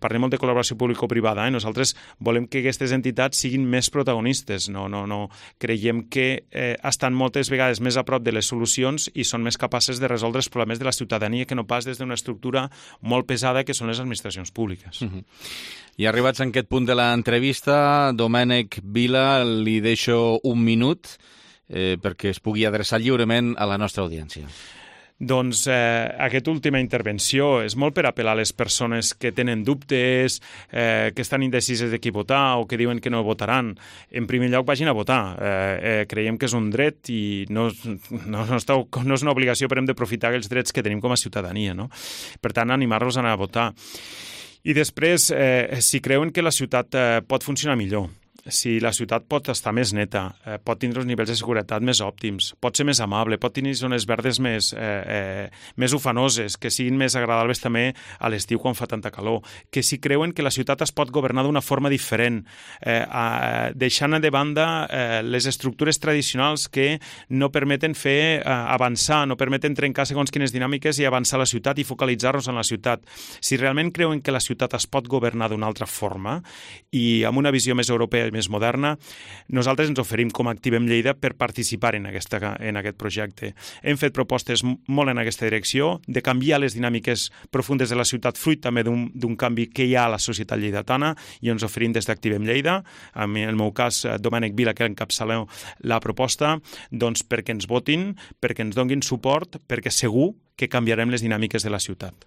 parlem molt de col·laboració público-privada, eh? Nosaltres volem que aquestes entitats siguin més protagonistes, no, no, no. Creiem que eh, estan moltes vegades més a prop de les solucions i són més capaces de resoldre els problemes de la ciutadania que no pas des d'una estructura molt pesada que són les administracions públiques. Uh-huh. I arribats en aquest punt de l'entrevista, Domènec Vila, li deixo un minut eh, perquè es pugui adreçar lliurement a la nostra audiència. Doncs eh, aquesta última intervenció és molt per apel·lar a les persones que tenen dubtes, eh, que estan indecises de qui votar o que diuen que no votaran. En primer lloc, vagin a votar. Eh, eh, creiem que és un dret i no, no, no, està, no és una obligació, però hem d'aprofitar els drets que tenim com a ciutadania, no? Per tant, animar-los a anar a votar. I després, eh, si creuen que la ciutat eh, pot funcionar millor, si la ciutat pot estar més neta, eh, pot tindre uns nivells de seguretat més òptims, pot ser més amable, pot tenir zones verdes més, eh, eh, més ufanoses, que siguin més agradables també a l'estiu quan fa tanta calor, que si creuen que la ciutat es pot governar d'una forma diferent, eh, a, deixant de banda eh, les estructures tradicionals que no permeten fer eh, avançar, no permeten trencar segons quines dinàmiques i avançar la ciutat i focalitzar-nos en la ciutat. Si realment creuen que la ciutat es pot governar d'una altra forma i amb una visió més europea més moderna, nosaltres ens oferim com a Activem Lleida per participar en, aquesta, en aquest projecte. Hem fet propostes molt en aquesta direcció, de canviar les dinàmiques profundes de la ciutat, fruit també d'un canvi que hi ha a la societat lleidatana, i ens oferim des d'Activem Lleida, en el meu cas, Domènec Vila, que encapçaleu la proposta, doncs perquè ens votin, perquè ens donin suport, perquè segur que canviarem les dinàmiques de la ciutat.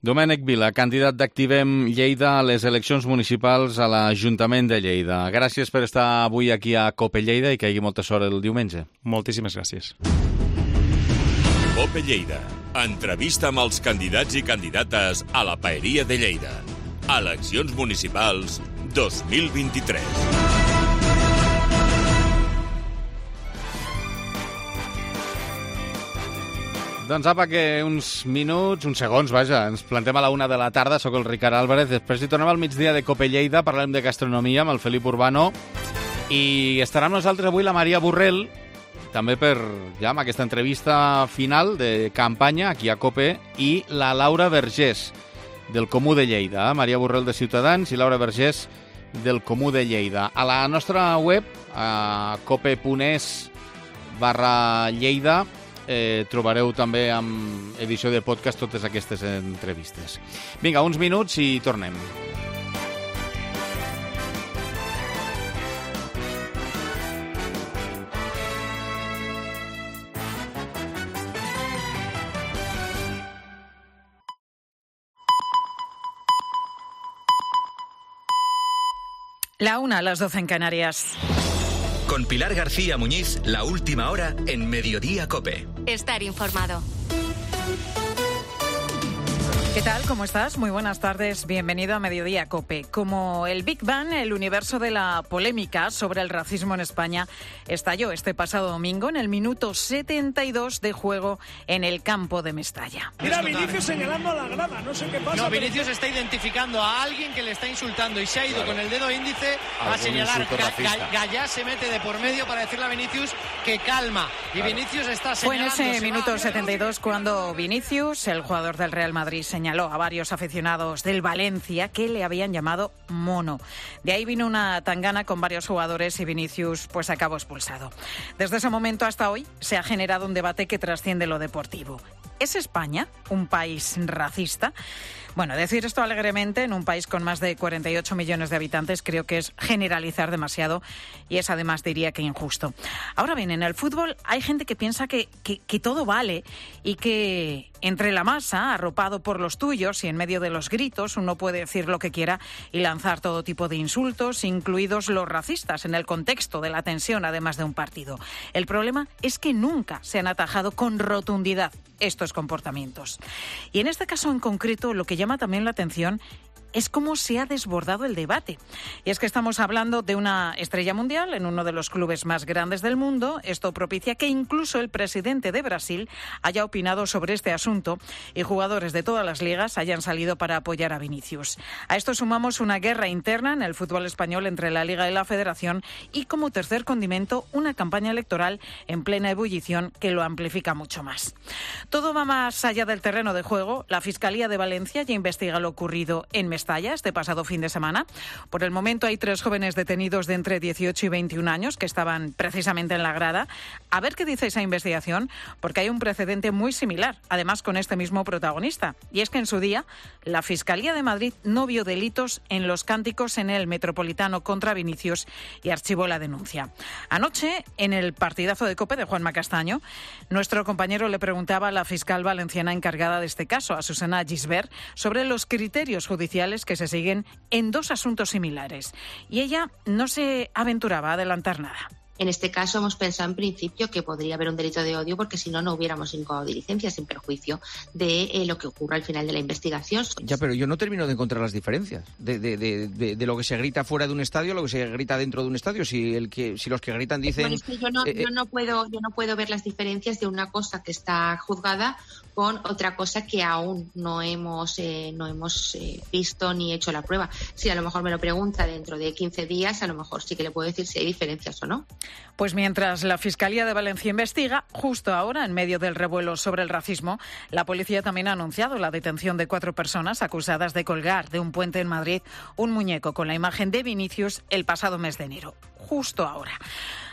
Domènec Vila, candidat d'Activem Lleida a les eleccions municipals a l'Ajuntament de Lleida. Gràcies per estar avui aquí a Cope Lleida i que hi hagi molta sort el diumenge. Moltíssimes gràcies. Cope Lleida. Entrevista amb els candidats i candidates a la Paeria de Lleida. Eleccions municipals dos mil vint-i-tres. Doncs apa, que uns minuts, uns segons, vaja, ens plantem a la una de la tarda, sóc el Ricard Álvarez, després hi tornem al migdia de Cope Lleida, parlem de gastronomia amb el Felip Urbano, i estarà amb nosaltres avui la Maria Borrell, també per, ja, amb aquesta entrevista final de campanya aquí a Cope, i la Laura Vergés, del Comú de Lleida, eh? Maria Borrell de Ciutadans i Laura Vergés del Comú de Lleida. A la nostra web, a cope punt es barra Lleida, Eh, trobareu també amb edició de podcast totes aquestes entrevistes. Vinga, uns minuts i tornem. La una a las doce en Canarias. Con Pilar García Muñiz, la última hora en Mediodía Cope. Estar informado. ¿Qué tal? ¿Cómo estás? Muy buenas tardes. Bienvenido a Mediodía Cope. Como el Big Bang, el universo de la polémica sobre el racismo en España estalló este pasado domingo en el minuto setenta y dos de juego en el campo de Mestalla. Mira, Vinicius señalando a la grada, no sé qué pasa. No, Vinicius pero... está identificando a alguien que le está insultando y se ha ido claro. con el dedo índice a señalar. Ga Gallá se mete de por medio para decirle a Vinicius que calma. Y claro. Vinicius está señalando. Fue en ese minuto setenta y dos cuando Vinicius, el jugador del Real Madrid, señaló a varios aficionados del Valencia que le habían llamado mono. De ahí vino una tangana con varios jugadores y Vinicius pues acabó expulsado. Desde ese momento hasta hoy se ha generado un debate que trasciende lo deportivo. ¿Es España un país racista? Bueno, decir esto alegremente en un país con más de cuarenta y ocho millones de habitantes creo que es generalizar demasiado y es además diría que injusto. Ahora bien, en el fútbol hay gente que piensa que, que, que todo vale y que entre la masa, arropado por los tuyos y en medio de los gritos, uno puede decir lo que quiera y lanzar todo tipo de insultos, incluidos los racistas, en el contexto de la tensión, además de un partido. El problema es que nunca se han atajado con rotundidad estos comportamientos. Y en este caso en concreto, lo que llama también la atención es cómo se ha desbordado el debate. Y es que estamos hablando de una estrella mundial en uno de los clubes más grandes del mundo. Esto propicia que incluso el presidente de Brasil haya opinado sobre este asunto y jugadores de todas las ligas hayan salido para apoyar a Vinicius. A esto sumamos una guerra interna en el fútbol español entre la Liga y la Federación y, como tercer condimento, una campaña electoral en plena ebullición que lo amplifica mucho más. Todo va más allá del terreno de juego. La Fiscalía de Valencia ya investiga lo ocurrido en Mestalla este pasado fin de semana. Por el momento hay tres jóvenes detenidos de entre dieciocho y veintiún años que estaban precisamente en la grada. A ver qué dice esa investigación, porque hay un precedente muy similar, además con este mismo protagonista. Y es que en su día la Fiscalía de Madrid no vio delitos en los cánticos en el Metropolitano contra Vinicius y archivó la denuncia. Anoche, en el partidazo de Cope de Juanma Castaño, nuestro compañero le preguntaba a la fiscal valenciana encargada de este caso, a Susana Gisbert, sobre los criterios judiciales que se siguen en dos asuntos similares. Y ella no se aventuraba a adelantar nada. En este caso hemos pensado en principio que podría haber un delito de odio porque si no, no hubiéramos incoado diligencias sin perjuicio de eh, lo que ocurra al final de la investigación. Ya, pero yo no termino de encontrar las diferencias de, de, de, de, de lo que se grita fuera de un estadio a lo que se grita dentro de un estadio. Si, el que, si los que gritan dicen... Bueno, es que yo no, eh, yo, no puedo, yo no puedo ver las diferencias de una cosa que está juzgada con otra cosa que aún no hemos, eh, no hemos eh, visto ni hecho la prueba. Si a lo mejor me lo pregunta dentro de quince días, a lo mejor sí que le puedo decir si hay diferencias o no. Pues mientras la Fiscalía de Valencia investiga, justo ahora, en medio del revuelo sobre el racismo, la policía también ha anunciado la detención de cuatro personas acusadas de colgar de un puente en Madrid un muñeco con la imagen de Vinicius el pasado mes de enero. Justo ahora.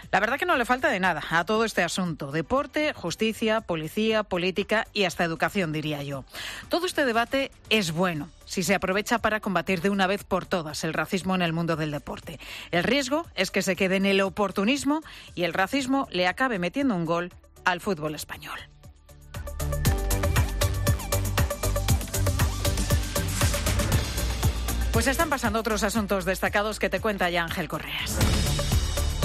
La verdad que no le falta de nada a todo este asunto. Deporte, justicia, policía, política y hasta educación, diría yo. Todo este debate es bueno si se aprovecha para combatir de una vez por todas el racismo en el mundo del deporte. El riesgo es que se quede en el oportunismo y el racismo le acabe metiendo un gol al fútbol español. Pues están pasando otros asuntos destacados que te cuenta ya Ángel Correas.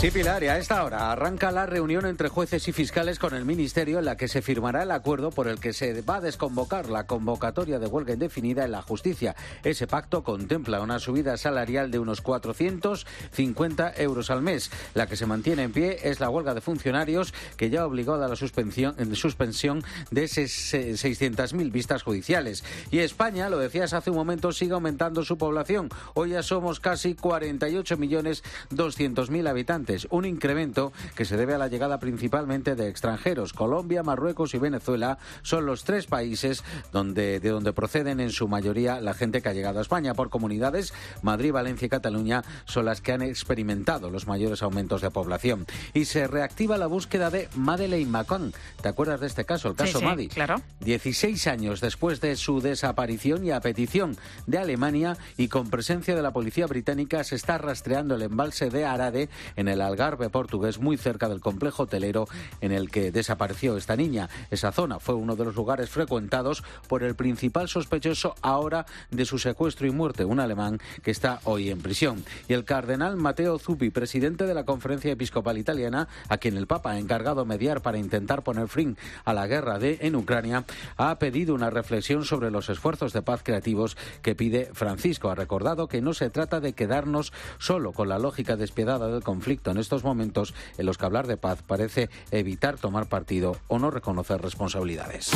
Sí, Pilar, y a esta hora arranca la reunión entre jueces y fiscales con el Ministerio en la que se firmará el acuerdo por el que se va a desconvocar la convocatoria de huelga indefinida en la justicia. Ese pacto contempla una subida salarial de unos cuatrocientos cincuenta euros al mes. La que se mantiene en pie es la huelga de funcionarios, que ya obligó a la suspensión, suspensión de seiscientas mil vistas judiciales. Y España, lo decías hace un momento, sigue aumentando su población. Hoy ya somos casi cuarenta y ocho millones doscientos mil habitantes. Un incremento que se debe a la llegada principalmente de extranjeros. Colombia, Marruecos y Venezuela son los tres países donde, de donde proceden en su mayoría la gente que ha llegado a España. Por comunidades, Madrid, Valencia y Cataluña son las que han experimentado los mayores aumentos de población. Y se reactiva la búsqueda de Madeleine McCann. ¿Te acuerdas de este caso, el caso sí, sí, Madi? Claro. dieciséis años después de su desaparición y a petición de Alemania y con presencia de la policía británica, se está rastreando el embalse de Arade en el Algarve portugués, muy cerca del complejo hotelero en el que desapareció esta niña. Esa zona fue uno de los lugares frecuentados por el principal sospechoso ahora de su secuestro y muerte, un alemán que está hoy en prisión. Y el cardenal Matteo Zuppi, presidente de la Conferencia Episcopal Italiana, a quien el Papa ha encargado mediar para intentar poner fin a la guerra de, en Ucrania, ha pedido una reflexión sobre los esfuerzos de paz creativos que pide Francisco. Ha recordado que no se trata de quedarnos solo con la lógica despiadada del conflicto en estos momentos en los que hablar de paz parece evitar tomar partido o no reconocer responsabilidades.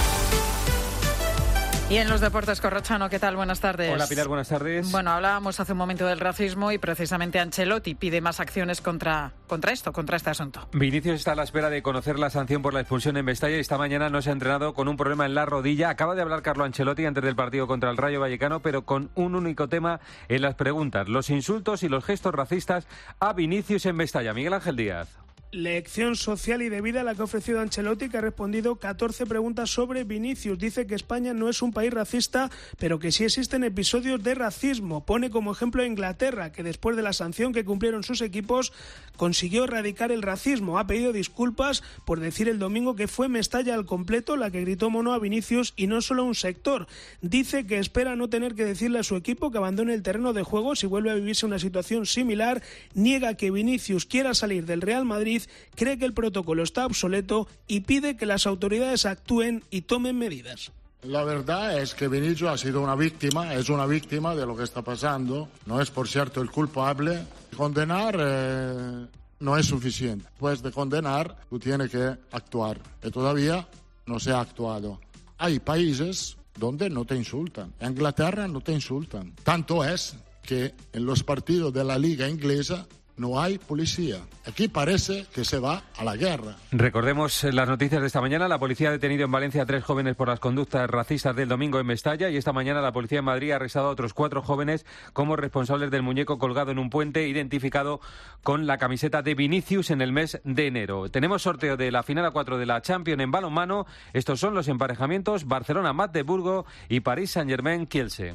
Y en los deportes, Corrochano, ¿qué tal? Buenas tardes. Hola, Pilar, buenas tardes. Bueno, hablábamos hace un momento del racismo y precisamente Ancelotti pide más acciones contra, contra esto, contra este asunto. Vinicius está a la espera de conocer la sanción por la expulsión en Mestalla y esta mañana no se ha entrenado con un problema en la rodilla. Acaba de hablar Carlo Ancelotti antes del partido contra el Rayo Vallecano, pero con un único tema en las preguntas: los insultos y los gestos racistas a Vinicius en Mestalla. Miguel Ángel Díaz. Lección social y de vida la que ha ofrecido Ancelotti, que ha respondido catorce preguntas sobre Vinicius. Dice que España no es un país racista, pero que sí existen episodios de racismo. Pone como ejemplo a Inglaterra, que después de la sanción que cumplieron sus equipos, consiguió erradicar el racismo. Ha pedido disculpas por decir el domingo que fue Mestalla al completo la que gritó mono a Vinicius y no solo a un sector. Dice que espera no tener que decirle a su equipo que abandone el terreno de juego si vuelve a vivirse una situación similar. Niega que Vinicius quiera salir del Real Madrid, cree que el protocolo está obsoleto y pide que las autoridades actúen y tomen medidas. La verdad es que Vinicius ha sido una víctima, es una víctima de lo que está pasando. No es, por cierto, el culpable. Condenar eh, no es suficiente. Después de condenar, tú tienes que actuar. Y todavía no se ha actuado. Hay países donde no te insultan. En Inglaterra no te insultan. Tanto es que en los partidos de la Liga Inglesa no hay policía. Aquí parece que se va a la guerra. Recordemos las noticias de esta mañana. La policía ha detenido en Valencia a tres jóvenes por las conductas racistas del domingo en Mestalla, y esta mañana la policía en Madrid ha arrestado a otros cuatro jóvenes como responsables del muñeco colgado en un puente identificado con la camiseta de Vinicius en el mes de enero. Tenemos sorteo de la final a cuatro de la Champions en balonmano. Estos son los emparejamientos: Barcelona-Magdeburgo y París Saint-Germain-Kielce.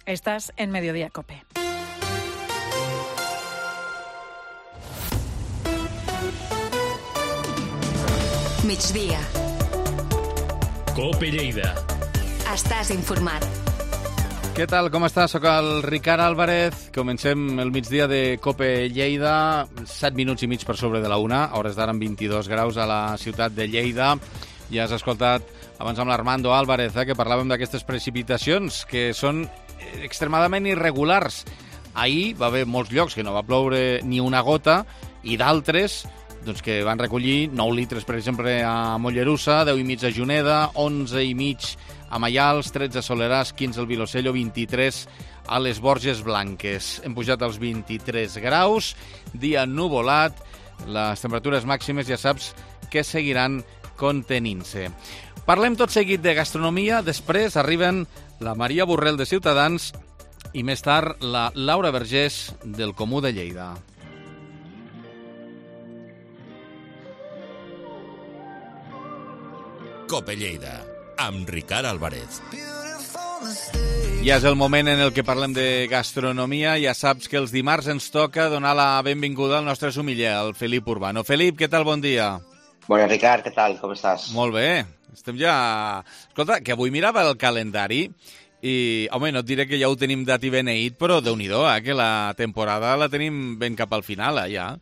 Estás en Mediodía COPE. Migdia. COPE Lleida. Estàs informat. Què tal, com estàs? Soc el Ricard Álvarez. Comencem el migdia de COPE Lleida. set minuts i mig per sobre de la una, a hores d'ara amb vint-i-dos graus a la ciutat de Lleida. Ja has escoltat abans amb l'Armando Álvarez, eh, que parlàvem d'aquestes precipitacions que són extremadament irregulars. Ahir va haver molts llocs que no va ploure ni una gota i d'altres doncs que van recollir nou litres, per exemple, a Mollerussa, deu i mig a Juneda, onze i mig a Maials, tretze a Soleràs, quinze al Vilosello, vint-i-tres a les Borges Blanques. Hem pujat als vint-i-tres graus, dia nuvolat, les temperatures màximes ja saps que seguiran contenint-se. Parlem tot seguit de gastronomia, després arriben la Maria Borrell de Ciutadans i més tard la Laura Vergés del Comú de Lleida. COPE Lleida, amb Ricard Álvarez. Ja és el moment en el que parlem de gastronomia. Ja saps que els dimarts ens toca donar la benvinguda al nostre sumiller, el Felip Urbano. Felip, què tal? Bon dia. Bona, Ricard, què tal? Com estàs? Molt bé. Estem ja... Escolta, que avui mirava el calendari i, home, no et diré que ja ho tenim dat i beneït, però Déu-n'hi-do, eh, que la temporada la tenim ben cap al final, eh, ja.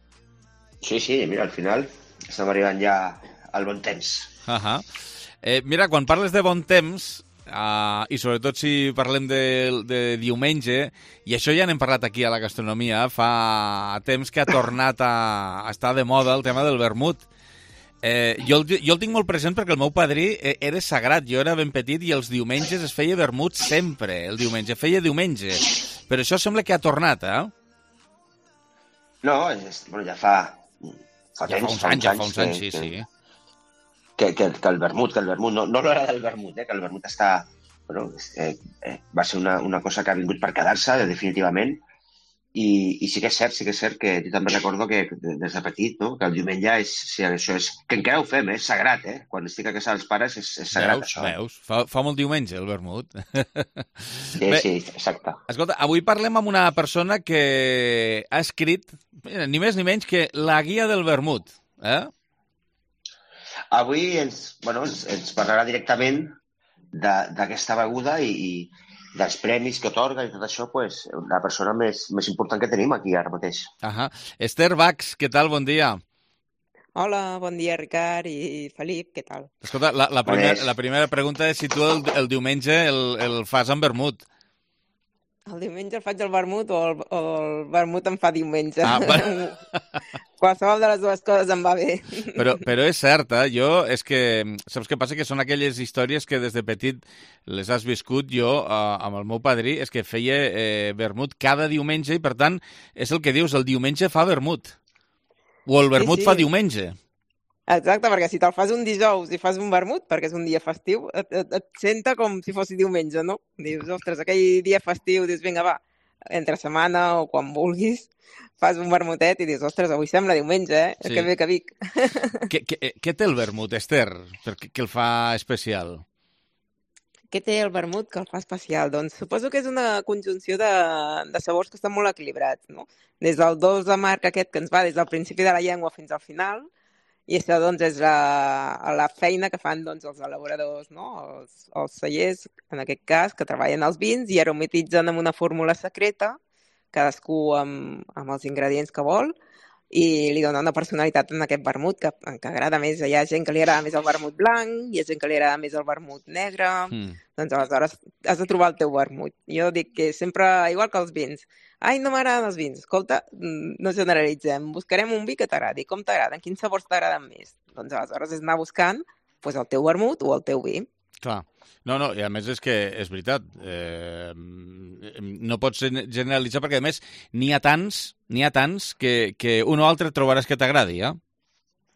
Sí, sí, mira, al final estem arribant ja al bon temps. Uh -huh. eh, mira, quan parles de bon temps, uh, i sobretot si parlem de, de diumenge, i això ja n'hem parlat aquí a la gastronomia, fa temps que ha tornat a, a estar de moda el tema del vermut. Eh, jo, el, jo el tinc molt present perquè el meu padrí era sagrat, jo era ben petit i els diumenges es feia vermut sempre, el diumenge, feia diumenge. Però això sembla que ha tornat, eh? No, és, bueno, ja fa... Fa, ja temps, fa uns anys, ja fa uns anys, que, sí, sí. Que, que, que el vermut, que el vermut, no, no l'hora del vermut, eh, que el vermut està... Bueno, eh, eh, va ser una, una cosa que ha vingut per quedar-se, definitivament, i, i sí que és cert, sí que és cert que jo també recordo que des de petit, no?, que el diumenge és, sí, això és, que encara ho fem, eh, és sagrat, eh? Quan estic a casa dels pares és, és sagrat, veus, això. Veus, fa, fa molt diumenge el vermut. Sí, Bé, sí, exacte. Escolta, avui parlem amb una persona que ha escrit, ni més ni menys que la guia del vermut, eh? Avui ens, bueno, ens, ens parlarà directament d'aquesta beguda i, i dels premis que otorga i tot això, pues, la persona més, més important que tenim aquí ara mateix. Ahà. Esther Bax, què tal? Bon dia. Hola, bon dia, Ricard i Felip, què tal? Escolta, la, la, primer, la primera pregunta és si tu el, el diumenge el, el fas amb vermut. El diumenge el faig al vermut o el, o el vermut em fa diumenge. Ah, bueno. Qualsevol de les dues coses em va bé. Però, però és cert, eh? Jo, és que, saps què passa? Que són aquelles històries que des de petit les has viscut. Jo, eh, amb el meu padrí, és que feia eh, vermut cada diumenge i, per tant, és el que dius, el diumenge fa vermut. O el vermut sí, sí. fa diumenge. Exacte, perquè si te'l fas un dijous i fas un vermut, perquè és un dia festiu, et, et, et senta com si fos diumenge, no? Dius, ostres, aquell dia festiu, dius, vinga, va, entre setmana o quan vulguis, fas un vermutet i dius, ostres, avui sembla diumenge, eh? Sí. Que bé que Vic. Què, què, què té el vermut, Esther, perquè, que el fa especial? Què té el vermut que el fa especial? Doncs suposo que és una conjunció de, de sabors que estan molt equilibrats, no? Des del dos amarg aquest que ens va des del principi de la llengua fins al final, i això doncs, és la, la feina que fan doncs, els elaboradors, no? els, els cellers, en aquest cas, que treballen els vins i aromatitzen amb una fórmula secreta, cadascú amb, amb els ingredients que vol, i li dona una personalitat en aquest vermut que, que agrada més. Hi ha gent que li agrada més el vermut blanc, hi ha gent que li agrada més el vermut negre, mm. doncs aleshores has de trobar el teu vermut. Jo dic que sempre, igual que els vins, ai, no m'agraden els vins. Escolta, no generalitzem, buscarem un vi que t'agradi. Com t'agraden? Quins sabors t'agraden més? Doncs aleshores és anar buscant pues, el teu vermut o el teu vi. Clar. No, no, i a més és que és veritat, eh, no pots generalitzar perquè a més n'hi ha tants, n'hi ha tants que, que un o altre trobaràs que t'agradi, eh?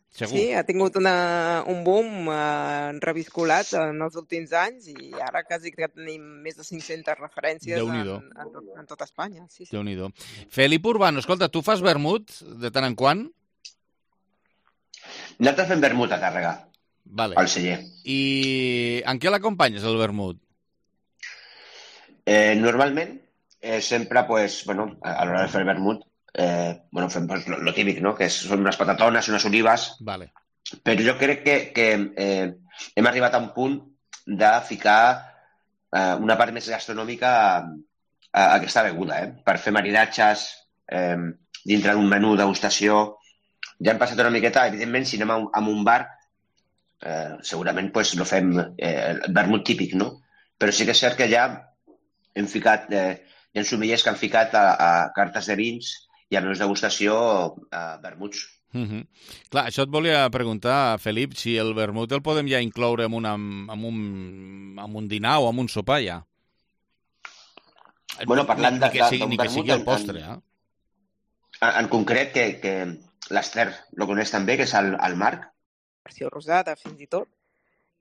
Segur. Sí, ha tingut una, un boom eh, reviscolat en els últims anys i ara quasi que tenim més de cinc-centes referències en, en, tot, en tot Espanya. Sí, sí. Déu-n'hi-do. Felip Urbano, escolta, tu fas vermut de tant en quant? Nosaltres fem vermut a càrrega. Vale. Al celler. I en què l'acompanyes, el vermut? Eh, normalment, eh, sempre, pues, bueno, a l'hora de fer el vermut, eh, bueno, fem pues, lo, lo típic, no?, que són unes patatones, unes olives, vale. Però jo crec que, que eh, hem arribat a un punt de ficar eh, una part més gastronòmica a, a aquesta beguda, eh? Per fer maridatges eh, dintre d'un menú degustació. Ja hem passat una miqueta, evidentment, si anem a un, a un bar, Eh, segurament pues, no fem eh, el vermut típic, no? Però sí que és cert que ja hem ficat, eh, hi ha sommeliers que han ficat a, a cartes de vins i a menús degustació a vermuts. Mm-hmm. Clar, això et volia preguntar, Felip, si el vermut el podem ja incloure en, una, en, un, en un dinar o en un sopar ja. Bueno, parlant ni, de, ni que sigui, de, ni que sigui el postre, en, eh? En, en concret, que, que l'Esther lo coneix també, que és el, el Marc, versió rosada, fins i tot,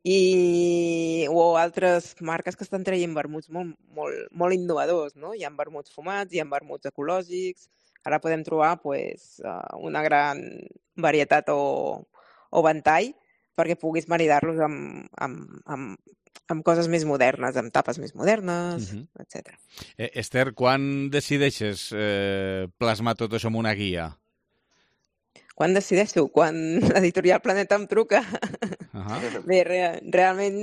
i o altres marques que estan traient vermuts molt, molt, molt innovadors, no? Hi ha vermuts fumats, hi ha vermuts ecològics, ara podem trobar pues, una gran varietat o, o ventall perquè puguis maridar-los amb, amb, amb, amb coses més modernes, amb tapes més modernes, uh-huh. etcètera. Eh, Esther, quan decideixes eh, plasmar tot això en una guia? Quan decideixo? Quan l'editorial Planeta em truca. Uh-huh. Bé, re, realment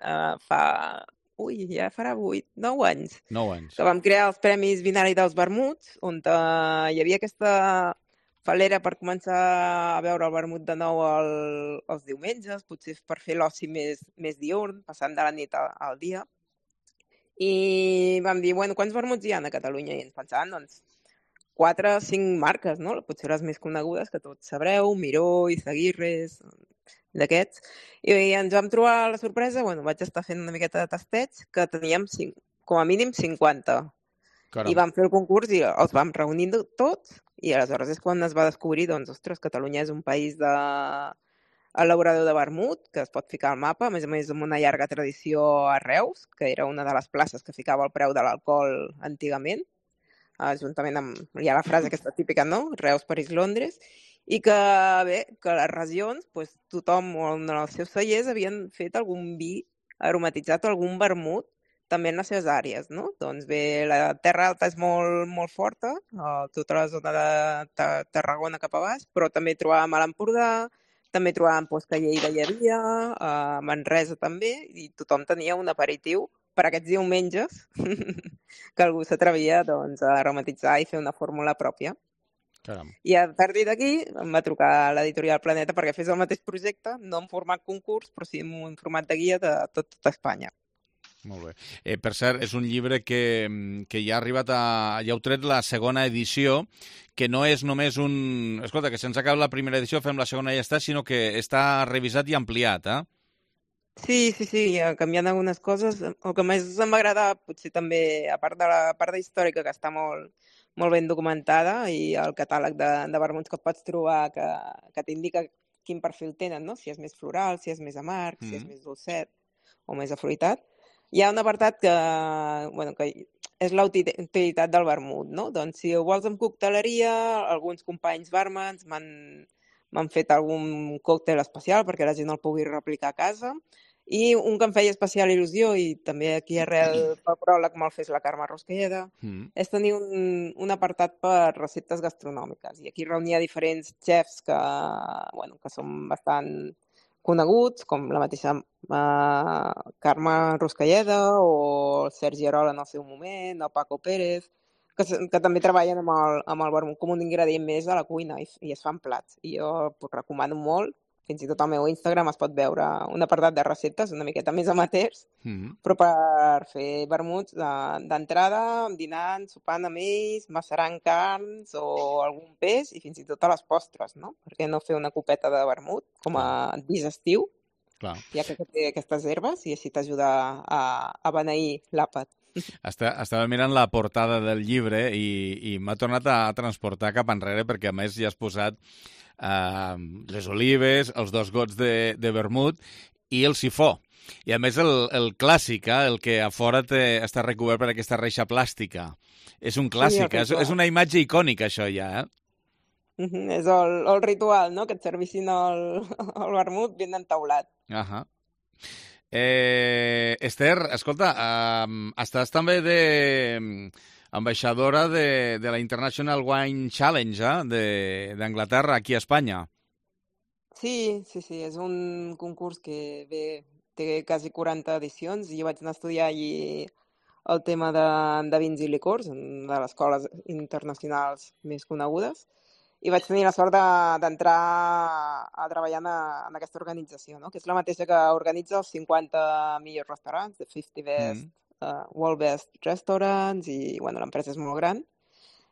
uh, fa... Ui, ja farà vuit, nou anys. Nou anys. Que vam crear els Premis Vinari dels Vermuts, on uh, hi havia aquesta falera per començar a veure el vermut de nou el, els diumenges, potser per fer l'oci més, més diurn, passant de la nit al, al dia. I vam dir, bueno, quants vermuts hi ha a Catalunya? I ens pensàvem, doncs, quatre o cinc marques, no? Potser les més conegudes, que tots sabreu, Miró, Izaguirres, d'aquests. I ens vam trobar la sorpresa, bueno, vaig estar fent una miqueta de tasteig, que teníem cinc, com a mínim cinquanta. Caram. I vam fer el concurs i els vam reunir tots, i aleshores és quan es va descobrir, doncs, ostres, Catalunya és un país de elaborador de vermut, que es pot ficar al mapa, a més a més amb una llarga tradició a Reus, que era una de les places que ficava el preu de l'alcohol antigament, juntament amb, hi ha la frase aquesta típica, no? Reus, París, Londres, i que, bé, que les regions, doncs, tothom en els seus cellers havien fet algun vi aromatitzat o algun vermut també en les seves àrees, no? Doncs bé, la Terra Alta és molt, molt forta, tota la zona de Tarragona cap a baix, però també trobàvem a l'Empordà, també trobàvem pues, que a Lleida hi havia, a Manresa també, i tothom tenia un aperitiu per aquests diumenges que algú s'atrevia doncs, a aromatitzar i fer una fórmula pròpia. Caram. I a partir d'aquí em va trucar l'editorial Planeta perquè fes el mateix projecte, no en format concurs, però sí en un format de guia de tot, tot Espanya. Molt bé. Eh, per cert, és un llibre que, que ja ha arribat a... ja heu tret la segona edició, que no és només un... Escolta, que sense acabar la primera edició fem la segona i ja està, sinó que està revisat i ampliat, eh? Sí, sí, sí, canviant algunes coses. El que més em va agradar, potser també, a part de la part històrica, que està molt, molt ben documentada, i el catàleg de, de vermuts que pots trobar, que, que t'indica quin perfil tenen, no? Si és més floral, si és més amarg, mm. si és més dolcet o més afruitat. Hi ha un apartat que, bueno, que és la utilitat del vermut, no? Doncs si ho vols amb cocteleria, alguns companys bàrmens m'han fet algun còctel especial perquè la gent el pugui replicar a casa, i un que em feia especial il·lusió, i també aquí arrel pel pròleg me'l fes la Carme Rusquelleda, mm. és tenir un, un apartat per receptes gastronòmiques, i aquí reunia diferents xefs que, bueno, que són bastant coneguts, com la mateixa uh, Carme Rusquelleda o el Sergi Arola en el seu moment, o Paco Pérez, que, que també treballen amb el, amb el vermut com un ingredient més a la cuina i, i es fan plats. I jo pues, recomano molt, fins i tot al meu Instagram es pot veure un apartat de receptes una miqueta més amateurs, mm-hmm. però per fer vermuts d'entrada, dinant, sopant amb ells, macerant carns o algun peix i fins i tot a les postres, no? Per què no fer una copeta de vermut com a digestiu, Clar. ja que té aquestes herbes, i així t'ajuda a, a beneir l'àpat. Està, estava mirant la portada del llibre i, i m'ha tornat a transportar cap enrere perquè a més ja has posat Uh, les olives, els dos gots de, de vermut i el sifó. I a més el, el clàssic, eh, el que a fora té, està recobert per aquesta reixa plàstica. És un clàssic, sí, és, és una imatge icònica això ja, eh? Uh -huh. És el, el ritual, no?, que et servissin el, el vermut ben entaulat. Uh -huh. eh, Esther, escolta, uh, estàs també de... ambaixadora de, de la International Wine Challenge eh, d'Anglaterra, aquí a Espanya. Sí, sí, sí, és un concurs que bé, té quasi quaranta edicions i jo vaig anar a estudiar allí el tema de, de vins i licors, una de les escoles internacionals més conegudes, i vaig tenir la sort d'entrar de, a treballar en, a, en aquesta organització, no? Que és la mateixa que organitza els cinquanta millors restaurants, the fifty best mm. Uh, World Best Restaurants, i bueno, l'empresa és molt gran,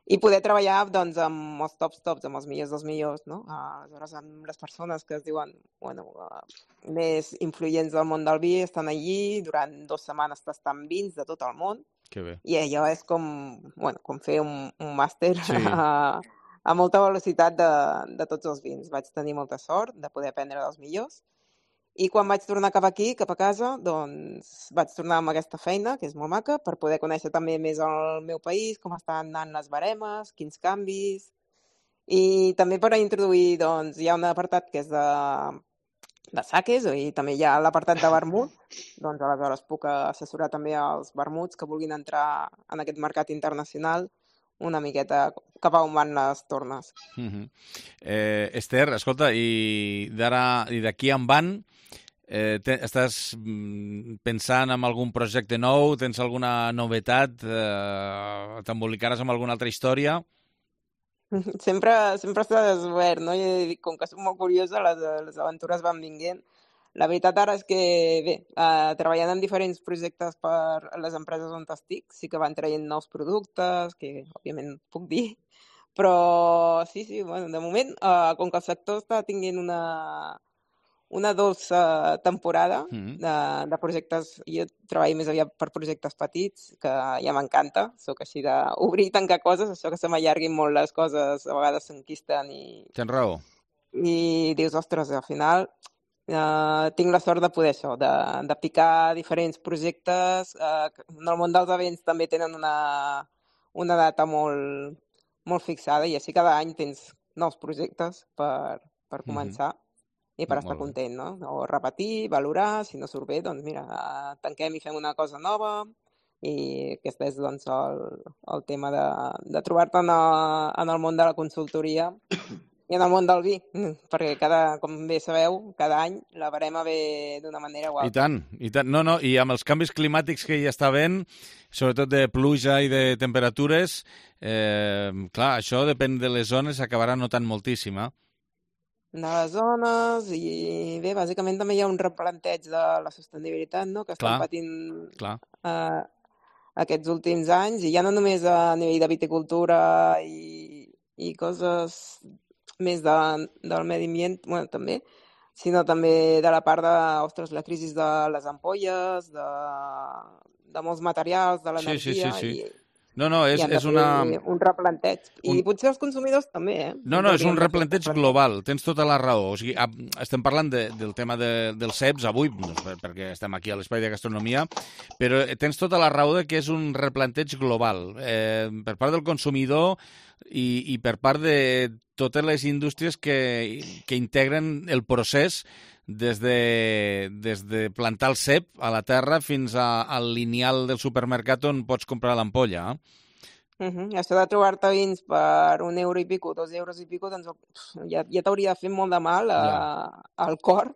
i poder treballar doncs, amb els tops tops, amb els millors dels millors, no? Uh, aleshores, amb les persones que es diuen bueno, uh, més influents del món del vi estan allí, durant dues setmanes tastant vins de tot el món. Que bé. I allò és com, bueno, com fer un, un màster sí. a, a molta velocitat de, de tots els vins. Vaig tenir molta sort de poder aprendre dels millors. I quan vaig tornar cap aquí, cap a casa, doncs vaig tornar amb aquesta feina, que és molt maca, per poder conèixer també més el meu país, com estan anant les baremes, quins canvis, i també per introduir, doncs, hi ha un apartat que és de, de saques, i també hi ha l'apartat de vermut, doncs aleshores puc assessorar també els vermuts que vulguin entrar en aquest mercat internacional una miqueta cap a on van les tornes. Uh-huh. eh, Esther, escolta, i d'ara i d'aquí en van, eh, te, estàs pensant en algun projecte nou? Tens alguna novetat? Eh, T'embolicaràs amb alguna altra història? Sempre, sempre està desobert, no? I com que soc molt curiosa, les, les aventures van vinguent. La veritat ara és que, bé, eh, treballant en diferents projectes per les empreses on estic, sí que van traient nous productes, que òbviament puc dir, però sí, sí, bueno, de moment, eh, com que el sector està tinguent una, una dolça temporada Mm. de, de projectes, jo treballo més aviat per projectes petits, que ja m'encanta, sóc així d'obrir i tancar coses, això que se m'allarguin molt les coses, a vegades s'enquisten i, Tens raó. i dius, ostres, al final eh, tinc la sort de poder això, de, de picar diferents projectes. Eh, en el món dels events també tenen una, una data molt, molt fixada i així cada any tens nous projectes per, per començar i per Molt estar bé. content, no? O repetir, valorar, si no surt bé, doncs mira, eh, tanquem i fem una cosa nova i aquest és doncs el, el tema de, de trobar-te en, el- en el món de la consultoria i en el món del vi, perquè cada, com bé sabeu, cada any la barema ve d'una manera o I altra. tant, i tant. No, no, i amb els canvis climàtics que hi està havent, sobretot de pluja i de temperatures, eh, clar, això depèn de les zones, s'acabarà notant moltíssim, eh? De les zones i bé, bàsicament també hi ha un replanteig de la sostenibilitat, no?, que estan Clar, patint clar. eh, aquests últims anys, i ja no només a nivell de viticultura i, i coses més de, del medi ambient, bueno, també, sinó també de la part de, ostres, la crisi de les ampolles, de, de molts materials, de Sí, sí, sí, l'energia, sí. i, No, no, és, i han de és una... fer un replanteig. I un- potser els consumidors també, eh? No, no, és un Haurien de fer replanteig global, tens tota la raó. O sigui, a- estem parlant de, del tema de, dels ceps avui, doncs, per- perquè estem aquí a l'Espai de Gastronomia, però tens tota la raó de que és un replanteig global, eh, per part del consumidor i, i per part de totes les indústries que, que integren el procés des de, des de plantar el cep a la terra fins a, al lineal del supermercat on pots comprar l'ampolla. Eh? Uh -huh. Això de trobar-te vins per un euro i pico, dos euros i pico, doncs pf, ja, ja t'hauria de fer molt de mal a, al cor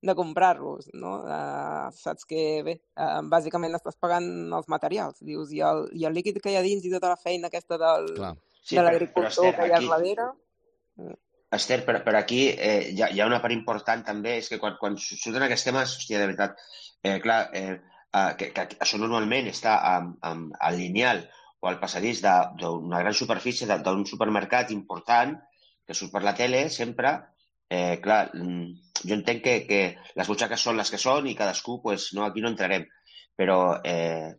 de comprar-los, no? Uh, saps que, bé, uh, bàsicament estàs pagant els materials, dius, i el, i el líquid que hi ha dins i tota la feina aquesta del, Clar. Sí, de però- l'agricultor però, Esther, que hi ha aquí- darrere. Esther, però, però aquí eh, hi, ha, hi ha una part important també, és que quan, quan surten aquests temes, hòstia, de veritat, eh, clar, eh, eh, que, que això normalment està amb, amb, al lineal o al passadís de- d'una gran superfície, de- d'un supermercat important, que surt per la tele sempre, eh, clar, mm, jo entenc que, que les butxaques són les que són i cadascú, pues, no, aquí no entrarem, però eh,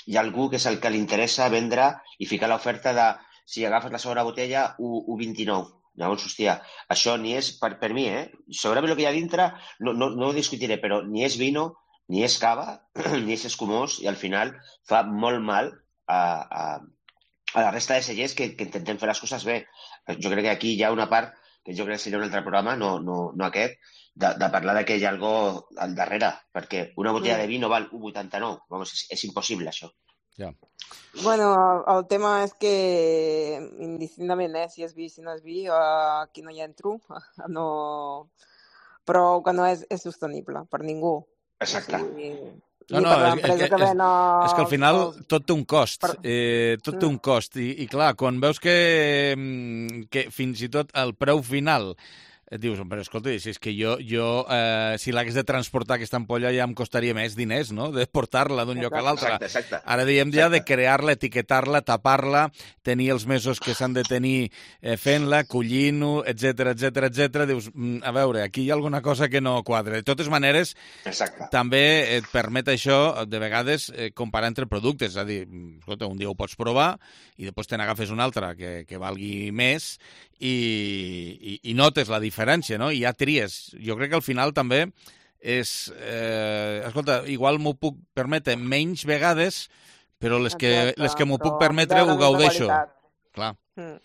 hi ha algú que és el que li interessa vendre i ficar l'oferta de si agafes la segona botella, u coma vint-i-nou. Llavors, hòstia, això ni és, per, per mi, eh? Segurament el que hi ha dintre, no, no, no ho discutiré, però ni és vino, ni és cava, ni és escumós, i al final fa molt mal a, a, a la resta de cellers que, que intentem fer les coses bé. Jo crec que aquí hi ha una part, que jo crec que seria un altre programa, no, no, no aquest, de, de parlar de que hi ha algo al darrere, perquè una botella de vino val un coma vuitanta-nou. Vamos, és, és impossible, això. Ja. Bueno, el, el tema és que indistintament, eh, si és vi, si no és vi, uh, aquí no hi entro, no... però que no és, és sostenible per ningú. Exacte. O sigui, No, ni no, per és, l'empresa és, que és, ven els- és que al final els- tot té un cost, eh, tot té un cost, i, i clar, quan veus que, mm, que fins i tot el preu final et dius, però escolta, si és que jo, jo eh, si l'hagués de transportar aquesta ampolla ja em costaria més diners, no?, de portar-la d'un lloc a l'altre. Exacte, exacte. Ara diem ja de crear-la, etiquetar-la, tapar-la, tenir els mesos que s'han de tenir eh, fent-la, collint-ho, etcètera, etcètera, etcètera. Dius, mm, a veure, aquí hi ha alguna cosa que no quadra. De totes maneres, Exacte. també et permet això, de vegades, eh, comparar entre productes. És a dir, escolta, un dia ho pots provar i després te n'agafes un altre que, que valgui més i, i, i notes la diferència, no? I ja tries. Jo crec que al final també és... Eh, escolta, igual m'ho puc permetre menys vegades, però les que, Exacte, les que m'ho puc però permetre de la ho mateixa gaudeixo. qualitat. Clar. Mm.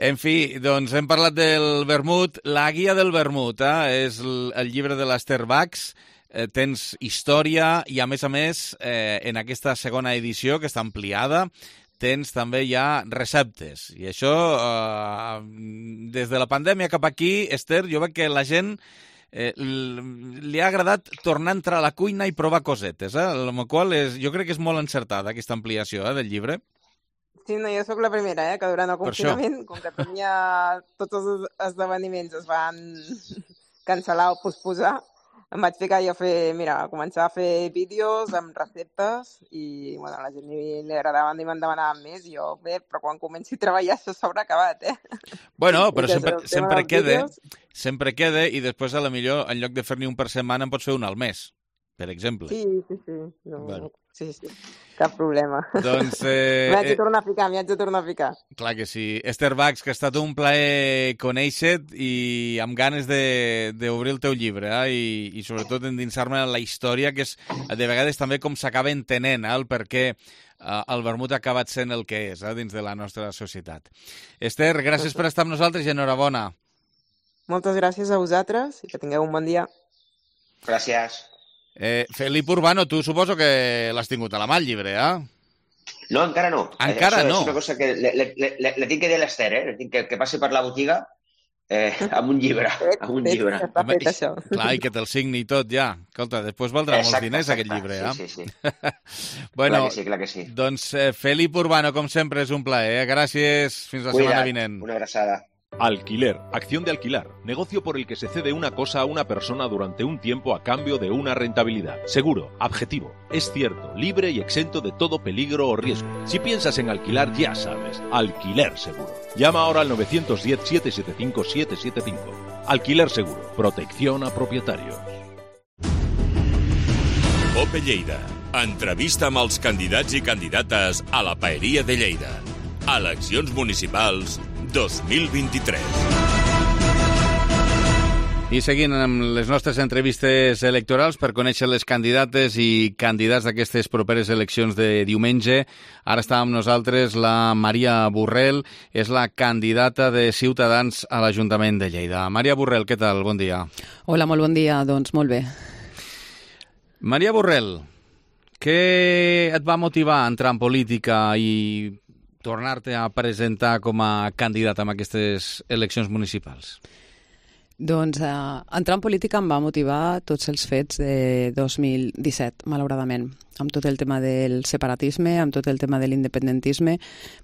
En fi, doncs hem parlat del vermut. La guia del vermut, eh? És el, el llibre de l'Esther Bax. Eh, tens història i, a més a més, eh, en aquesta segona edició, que està ampliada, tens també ja receptes. I això, eh, des de la pandèmia cap aquí, Esther, jo veig que la gent eh, li ha agradat tornar a entrar a la cuina i provar cosetes, eh? Amb la qual és, jo crec que és molt encertada aquesta ampliació eh, del llibre. Sí, no, jo sóc la primera, eh, que durant el confinament, com que tenia tots els esdeveniments es van cancel·lar o posposar, em vaig ficar jo a fer, mira, a començar a fer vídeos amb receptes i, bueno, a la gent li, li agradaven i me'n demanaven més i jo, bé, però quan comenci a treballar això s'haurà acabat, eh? Bueno, però sempre, sempre queda, sempre queda i després a la millor, en lloc de fer-ne un per setmana, en pots fer un al mes, per exemple. Sí, sí, sí. No, bueno. Sí, sí. Cap problema. Doncs... Eh, m'hi haig de tornar a ficar, m'hi haig de tornar a ficar. Clar que sí. Esther Bax, que ha estat un plaer conèixer-te i amb ganes d'obrir el teu llibre, eh? I, i sobretot endinsar-me en la història, que és de vegades també com s'acaba entenent, eh? El per què eh, el vermut ha acabat sent el que és, eh? Dins de la nostra societat. Esther, gràcies per estar amb nosaltres i enhorabona. Moltes gràcies a vosaltres i que tingueu un bon dia. Gràcies. Eh, Felip Urbano, tu suposo que l'has tingut a la mà, el llibre, eh? No, encara no. Encara Això no. És una cosa que le, le, le, le tinc que dir a l'Ester, eh? Le tinc que, que passi per la botiga eh, amb un llibre. Amb un llibre. Home, i, clar, i que te'l signi i tot, ja. Escolta, després valdrà molts exacte, diners, exacte. aquest llibre, eh? Sí, sí, sí. Bueno, clar que sí, clar que sí. Doncs eh, Felip Urbano, com sempre, és un plaer, eh? Gràcies. Fins la Cuida't. setmana vinent. Una abraçada. Alquiler, acción de alquilar, negocio por el que se cede una cosa a una persona durante un tiempo a cambio de una rentabilidad. Seguro, objetivo, es cierto, libre y exento de todo peligro o riesgo. Si piensas en alquilar, ya sabes, Alquiler Seguro. Llama ahora al nueve uno cero, siete siete cinco, siete siete cinco. Alquiler Seguro, protección a propietarios. Ope Lleida, entrevista amb els candidats i candidates a la Paeria de Lleida. Eleccions municipals dos mil vint-i-tres. I seguint amb les nostres entrevistes electorals per conèixer les candidates i candidats d'aquestes properes eleccions de diumenge, ara està amb nosaltres la Maria Borrell, és la candidata de Ciutadans a l'Ajuntament de Lleida. Maria Borrell, què tal? Bon dia. Hola, molt bon dia. Doncs molt bé. Maria Borrell, què et va motivar a entrar en política i tornar-te a presentar com a candidat en aquestes eleccions municipals? Doncs eh, entrar en política em va motivar tots els fets de dos mil disset, malauradament. Amb tot el tema del separatisme, amb tot el tema de l'independentisme,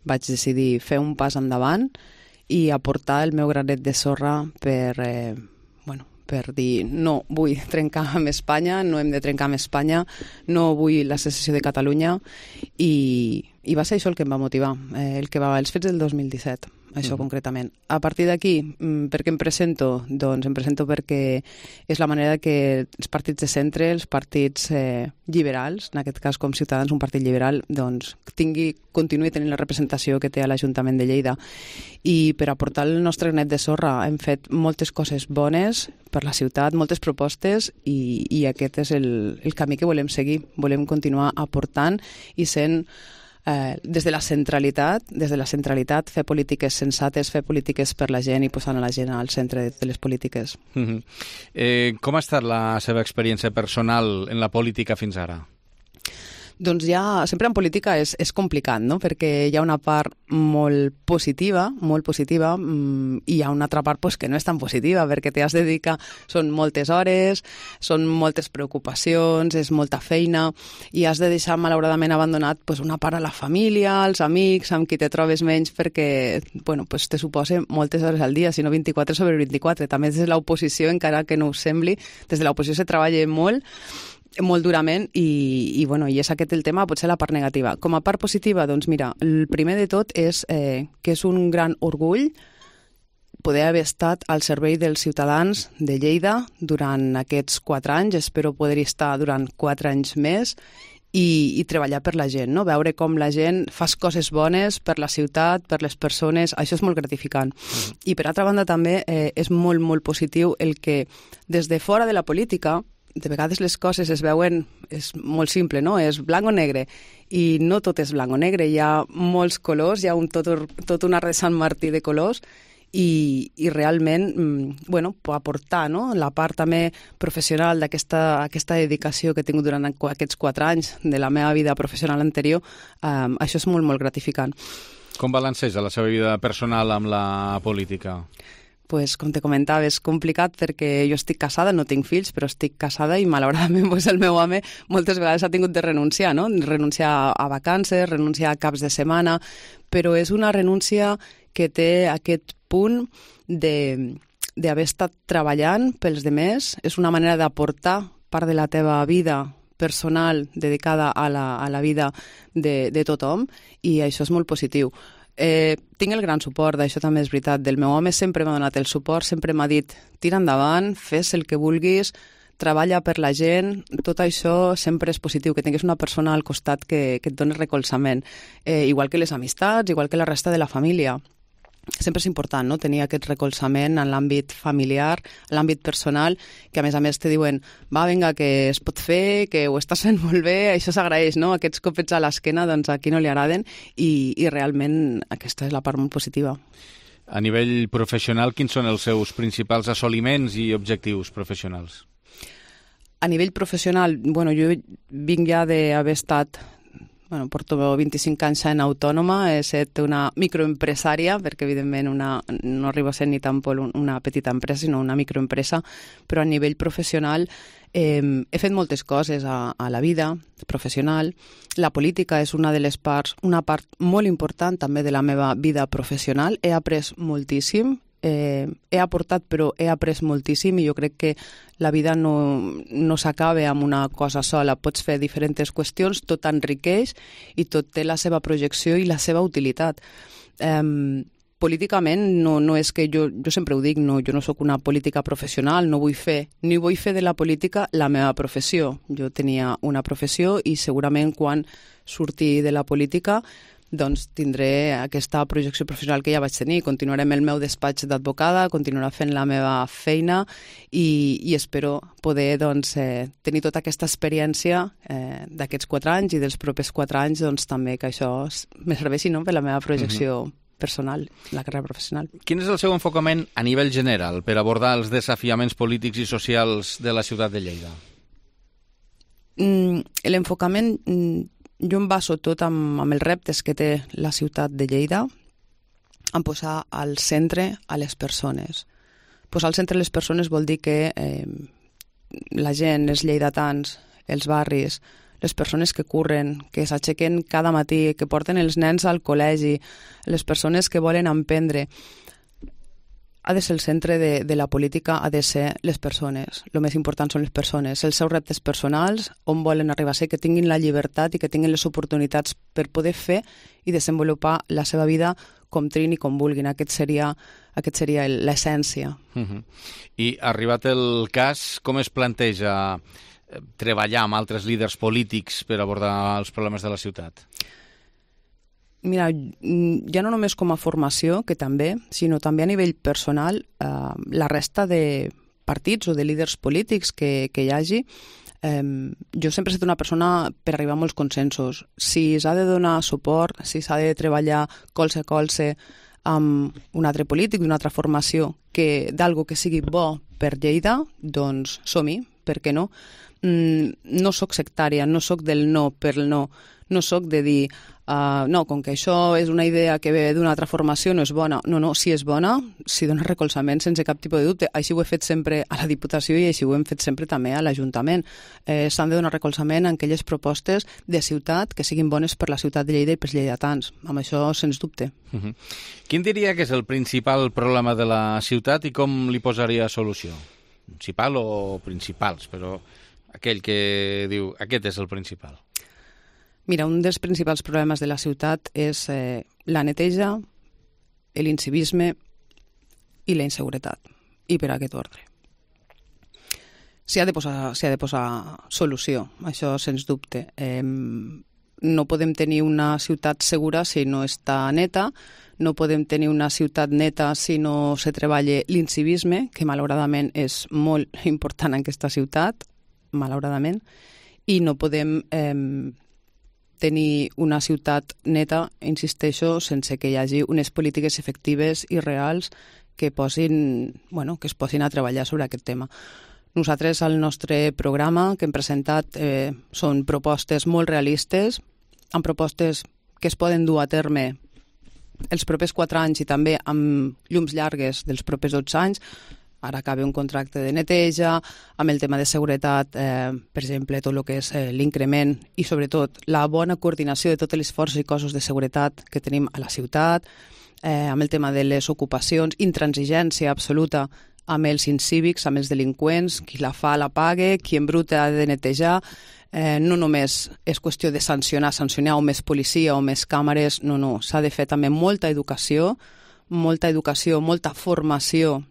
vaig decidir fer un pas endavant i aportar el meu granet de sorra per... Eh, bueno, per dir no vull trencar amb Espanya, no hem de trencar amb Espanya, no vull la secessió de Catalunya i, i va ser això el que em va motivar, eh, el que va, els fets del dos mil disset, això uh-huh. concretament. A partir d'aquí, per què em presento? Doncs em presento perquè és la manera que els partits de centre, els partits eh, liberals, en aquest cas com Ciutadans, un partit liberal, doncs tingui, continuï tenint la representació que té a l'Ajuntament de Lleida. I per aportar el nostre granet de sorra hem fet moltes coses bones per la ciutat, moltes propostes i, i aquest és el, el camí que volem seguir. Volem continuar aportant i sent Eh, des de la centralitat, des de la centralitat fer polítiques sensates, fer polítiques per la gent i posant a la gent al centre de les polítiques. Uh-huh. eh, com ha estat la seva experiència personal en la política fins ara? Doncs ja, sempre en política és, és complicat, no? Perquè hi ha una part molt positiva, molt positiva, mmm, i hi ha una altra part pues, que no és tan positiva, perquè t'has de dedicar, són moltes hores, són moltes preocupacions, és molta feina, i has de deixar malauradament abandonat pues, una part a la família, als amics, amb qui te trobes menys, perquè bueno, pues, te suposa moltes hores al dia, si no vint-i-quatre sobre vint-i-quatre. També des de l'oposició, encara que no us sembli, des de l'oposició se treballa molt, molt durament i, i, bueno, i és aquest el tema, potser la part negativa. Com a part positiva, doncs mira, el primer de tot és eh, que és un gran orgull poder haver estat al servei dels ciutadans de Lleida durant aquests quatre anys, espero poder-hi estar durant quatre anys més i, i treballar per la gent, no? Veure com la gent fa coses bones per la ciutat, per les persones, això és molt gratificant. Mm. I per altra banda també eh, és molt, molt positiu el que des de fora de la política de vegades les coses es veuen, és molt simple, no? És blanc o negre, i no tot és blanc o negre, hi ha molts colors, hi ha un, tot, tot un arc de Sant Martí de colors, i, i realment, bueno, aportar, no? La part també professional d'aquesta aquesta dedicació que he tingut durant aquests quatre anys de la meva vida professional anterior, um, això és molt, molt gratificant. Com balanceja la seva vida personal amb la política? pues, com te comentava, és complicat perquè jo estic casada, no tinc fills, però estic casada i malauradament pues, el meu home moltes vegades ha tingut de renunciar, no? Renunciar a vacances, renunciar a caps de setmana, però és una renúncia que té aquest punt de d'haver estat treballant pels demés, és una manera d'aportar part de la teva vida personal dedicada a la, a la vida de, de tothom, i això és molt positiu. Eh, tinc el gran suport, això també és veritat, del meu home, sempre m'ha donat el suport, sempre m'ha dit, tira endavant, fes el que vulguis, treballa per la gent, tot això sempre és positiu, que tinguis una persona al costat que, que et doni recolzament, eh, igual que les amistats, igual que la resta de la família. Sempre és important, no?, tenir aquest recolzament en l'àmbit familiar, en l'àmbit personal, que a més a més te diuen, va, vinga, que es pot fer, que ho estàs fent molt bé, això s'agraeix, no?, aquests copets a l'esquena, doncs a qui no li agraden, i, i realment aquesta és la part molt positiva. A nivell professional, quins són els seus principals assoliments i objectius professionals? A nivell professional, bueno, jo vinc ja d'haver estat... Bueno, porto vint-i-cinc anys sent autònoma, he estat una microempresària, perquè evidentment una, no arribo a ser ni tan poc una petita empresa, sinó una microempresa, però a nivell professional eh, he fet moltes coses a, a la vida professional. La política és una de les parts, una part molt important també de la meva vida professional. He après moltíssim, eh, he aportat però he après moltíssim, i jo crec que la vida no, no s'acaba amb una cosa sola, pots fer diferents qüestions, tot enriqueix i tot té la seva projecció i la seva utilitat. Eh, políticament no, no és que jo, jo sempre ho dic, no, jo no sóc una política professional, no vull fer, ni vull fer de la política la meva professió. Jo tenia una professió i segurament quan surti de la política doncs tindré aquesta projecció professional que ja vaig tenir. Continuaré amb el meu despatx d'advocada, continuaré fent la meva feina i, i espero poder doncs, eh, tenir tota aquesta experiència eh, d'aquests quatre anys i dels propers quatre anys, doncs també que això me serveixi, no?, per la meva projecció uh-huh. personal, la carrera professional. Quin és el seu enfocament a nivell general per abordar els desafiaments polítics i socials de la ciutat de Lleida? Mm, l'enfocament... Mm, jo em baso tot amb, amb els reptes que té la ciutat de Lleida, en posar al centre a les persones. Posar al centre les persones vol dir que eh, la gent, els lleidatans, els barris, les persones que curren, que s'aixequen cada matí, que porten els nens al col·legi, les persones que volen emprendre, ha de ser el centre de, de la política, ha de ser les persones. El més important són les persones, els seus reptes personals, on volen arribar a ser, que tinguin la llibertat i que tinguin les oportunitats per poder fer i desenvolupar la seva vida com trin i com vulguin. Aquest seria, aquest seria l'essència. Uh-huh. I arribat el cas, com es planteja treballar amb altres líders polítics per abordar els problemes de la ciutat? Mira, ja no només com a formació, que també, sinó també a nivell personal, eh, la resta de partits o de líders polítics que, que hi hagi, eh, jo sempre he estat una persona per arribar a molts consensos. Si s'ha de donar suport, si s'ha de treballar colze a colze amb un altre polític d'una altra formació que d'algo que sigui bo per Lleida, doncs som-hi, per què no? Mm, no sóc sectària, no sóc del no per el no, no sóc de dir uh, no, com que això és una idea que ve d'una altra formació, no és bona. No, no, si és bona, si dona recolzament sense cap tipus de dubte. Així ho he fet sempre a la Diputació i així ho hem fet sempre també a l'Ajuntament. Eh, S'han de donar recolzament a aquelles propostes de ciutat que siguin bones per la ciutat de Lleida i pels lleidatans. Amb això, sens dubte. Uh-huh. Quin diria que és el principal problema de la ciutat i com li posaria solució? Principal o principals, però aquell que diu aquest és el principal. Mira, un dels principals problemes de la ciutat és eh, la neteja, l'incivisme i la inseguretat, i per aquest ordre. S'hi ha de posar, s'hi ha de posar solució, això sens dubte. Eh, no podem tenir una ciutat segura si no està neta, no podem tenir una ciutat neta si no se treballa l'incivisme, que malauradament és molt important en aquesta ciutat, malauradament, i no podem eh, tenir una ciutat neta, insisteixo, sense que hi hagi unes polítiques efectives i reals que, posin, bueno, que es posin a treballar sobre aquest tema. Nosaltres, al nostre programa que hem presentat, eh, són propostes molt realistes, amb propostes que es poden dur a terme els propers quatre anys i també amb llums llargues dels propers dotze anys, ara acaba un contracte de neteja, amb el tema de seguretat, eh, per exemple, tot el que és eh, l'increment i sobretot la bona coordinació de totes les forces i cossos de seguretat que tenim a la ciutat, eh, amb el tema de les ocupacions, intransigència absoluta amb els incívics, amb els delinqüents, qui la fa la pague, qui embruta ha de netejar. Eh, no només és qüestió de sancionar, sancionar o més policia o més càmeres, no, no, s'ha de fer també molta educació, molta educació, molta formació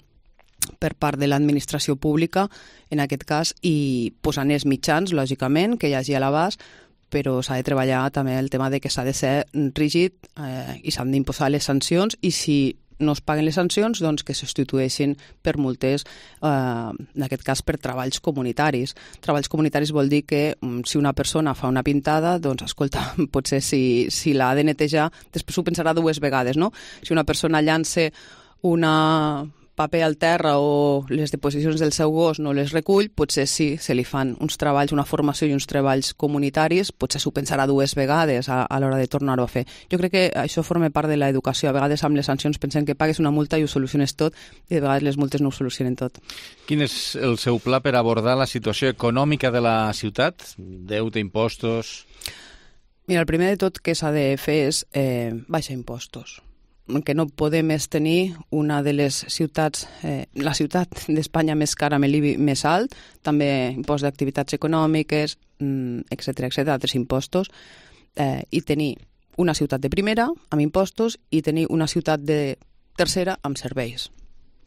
per part de l'administració pública, en aquest cas, i posant els mitjans, lògicament, que hi hagi a l'abast, però s'ha de treballar també el tema de que s'ha de ser rígid eh, i s'han d'imposar les sancions, i si no es paguen les sancions, doncs que se substitueixin per multes, eh, en aquest cas per treballs comunitaris. Treballs comunitaris vol dir que si una persona fa una pintada, doncs escolta, potser si, si l'ha de netejar, després ho pensarà dues vegades, no? Si una persona llança una paper al terra o les deposicions del seu gos no les recull, potser sí, se li fan uns treballs, una formació i uns treballs comunitaris, potser s'ho pensarà dues vegades a, a l'hora de tornar-ho a fer. Jo crec que això forma part de l'educació. A vegades amb les sancions pensem que pagues una multa i ho soluciones tot, i de vegades les multes no ho solucionen tot. Quin és el seu pla per abordar la situació econòmica de la ciutat? Deute, impostos... Mira, el primer de tot que s'ha de fer és eh, baixar impostos. Que no podem és tenir una de les ciutats, eh, la ciutat d'Espanya més cara amb l'I B I més alt, també impost d'activitats econòmiques, etcètera, etcètera, altres impostos, eh, i tenir una ciutat de primera amb impostos i tenir una ciutat de tercera amb serveis.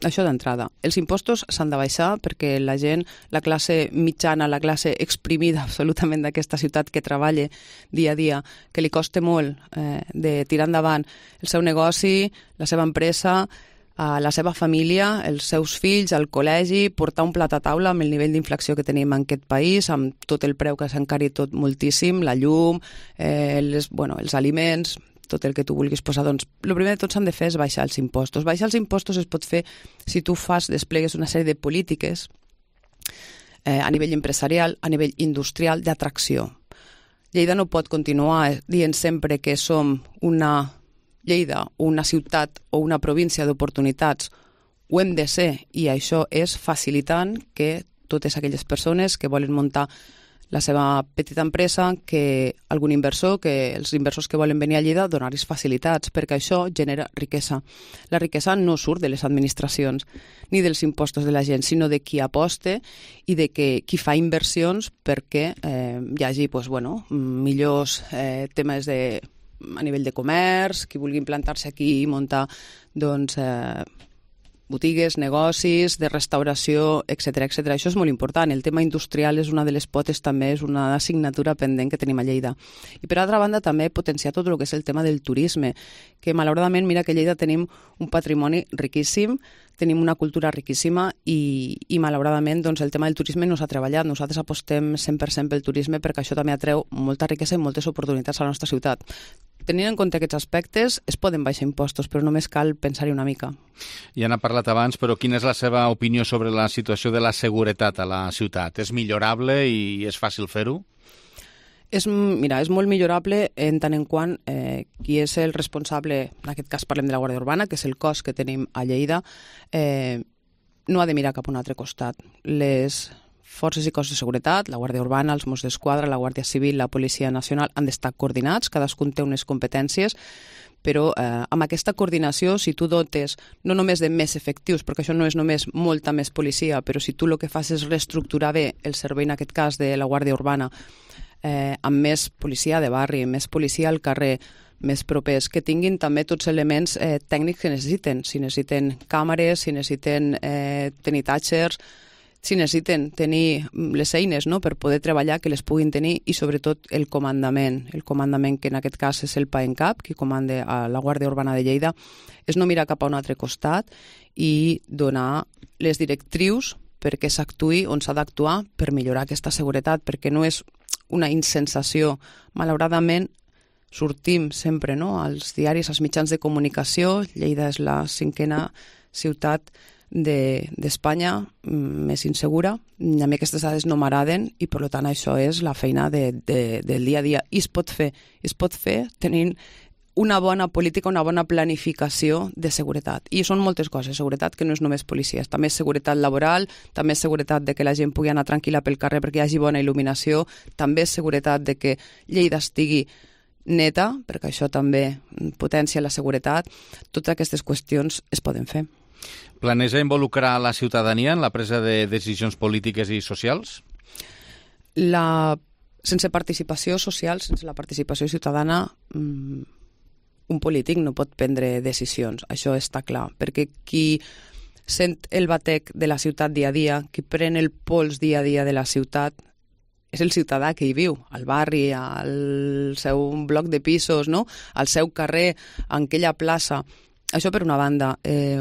Això d'entrada. Els impostos s'han de baixar perquè la gent, la classe mitjana, la classe exprimida absolutament d'aquesta ciutat que treballa dia a dia, que li costa molt eh, de tirar endavant el seu negoci, la seva empresa, a la seva família, els seus fills, al col·legi, portar un plat a taula amb el nivell d'inflació que tenim en aquest país, amb tot el preu que s'ha encarit tot moltíssim, la llum, eh, les, bueno, els aliments, tot el que tu vulguis posar, doncs el primer de tot s'han de fer és baixar els impostos. Baixar els impostos es pot fer si tu fas, desplegues una sèrie de polítiques eh, a nivell empresarial, a nivell industrial, d'atracció. Lleida no pot continuar dient sempre que som una Lleida, una ciutat o una província d'oportunitats. Ho hem de ser, i això és facilitant que totes aquelles persones que volen muntar la seva petita empresa, que algun inversor, que els inversors que volen venir a Lleida, donar-los facilitats, perquè això genera riquesa. La riquesa no surt de les administracions ni dels impostos de la gent, sinó de qui aposta i de que qui fa inversions perquè eh, hi hagi pues, bueno, millors eh, temes de, a nivell de comerç, qui vulgui implantar-se aquí i muntar doncs, eh, botigues, negocis, de restauració, etcètera, etcètera. Això és molt important. El tema industrial és una de les potes, també és una assignatura pendent que tenim a Lleida. I per altra banda també potenciar tot el que és el tema del turisme, que malauradament, mira que a Lleida tenim un patrimoni riquíssim, tenim una cultura riquíssima i, i malauradament doncs, el tema del turisme no s'ha treballat. Nosaltres apostem cent per cent pel turisme perquè això també atreu molta riquesa i moltes oportunitats a la nostra ciutat. Tenint en compte aquests aspectes, es poden baixar impostos, però només cal pensar-hi una mica. Ja n'ha parlat abans, però quina és la seva opinió sobre la situació de la seguretat a la ciutat? És millorable i és fàcil fer-ho? És, mira, és molt millorable en tant en quant eh, qui és el responsable, en aquest cas parlem de la Guàrdia Urbana, que és el cos que tenim a Lleida, eh, no ha de mirar cap a un altre costat. Les forces i cossos de seguretat, la Guàrdia Urbana, els Mossos d'Esquadra, la Guàrdia Civil, la Policia Nacional han d'estar coordinats, cadascun té unes competències, però eh, amb aquesta coordinació, si tu dotes no només de més efectius, perquè això no és només molta més policia, però si tu el que fas és reestructurar bé el servei, en aquest cas de la Guàrdia Urbana, eh, amb més policia de barri, més policia al carrer, més propers, que tinguin també tots els elements eh, tècnics que necessiten. Si necessiten càmeres, si necessiten eh, tenir tàchers, si necessiten tenir les eines, no?, per poder treballar, que les puguin tenir, i sobretot el comandament, el comandament que en aquest cas és el PAENCAP, qui comanda a la Guàrdia Urbana de Lleida, és no mirar cap a un altre costat i donar les directrius perquè s'actuï on s'ha d'actuar per millorar aquesta seguretat, perquè no és una insensació. Malauradament, sortim sempre, no?, als diaris, als mitjans de comunicació. Lleida és la cinquena ciutat d'Espanya de, més insegura. A mi aquestes dades no m'agraden i per tant això és la feina de, de, del dia a dia, i es pot fer es pot fer tenint una bona política, una bona planificació de seguretat. I són moltes coses. Seguretat que no és només policies, també és seguretat laboral, també és seguretat de que la gent pugui anar tranquil·la pel carrer perquè hi hagi bona il·luminació, també és seguretat de que Lleida estigui neta, perquè això també potencia la seguretat. Totes aquestes qüestions es poden fer. Planeja involucrar la ciutadania en la presa de decisions polítiques i socials? La... Sense participació social, sense la participació ciutadana, un polític no pot prendre decisions, això està clar, perquè qui sent el batec de la ciutat dia a dia, qui pren el pols dia a dia de la ciutat, és el ciutadà que hi viu, al barri, al seu bloc de pisos, no? Al seu carrer, en aquella plaça. Això per una banda. Eh,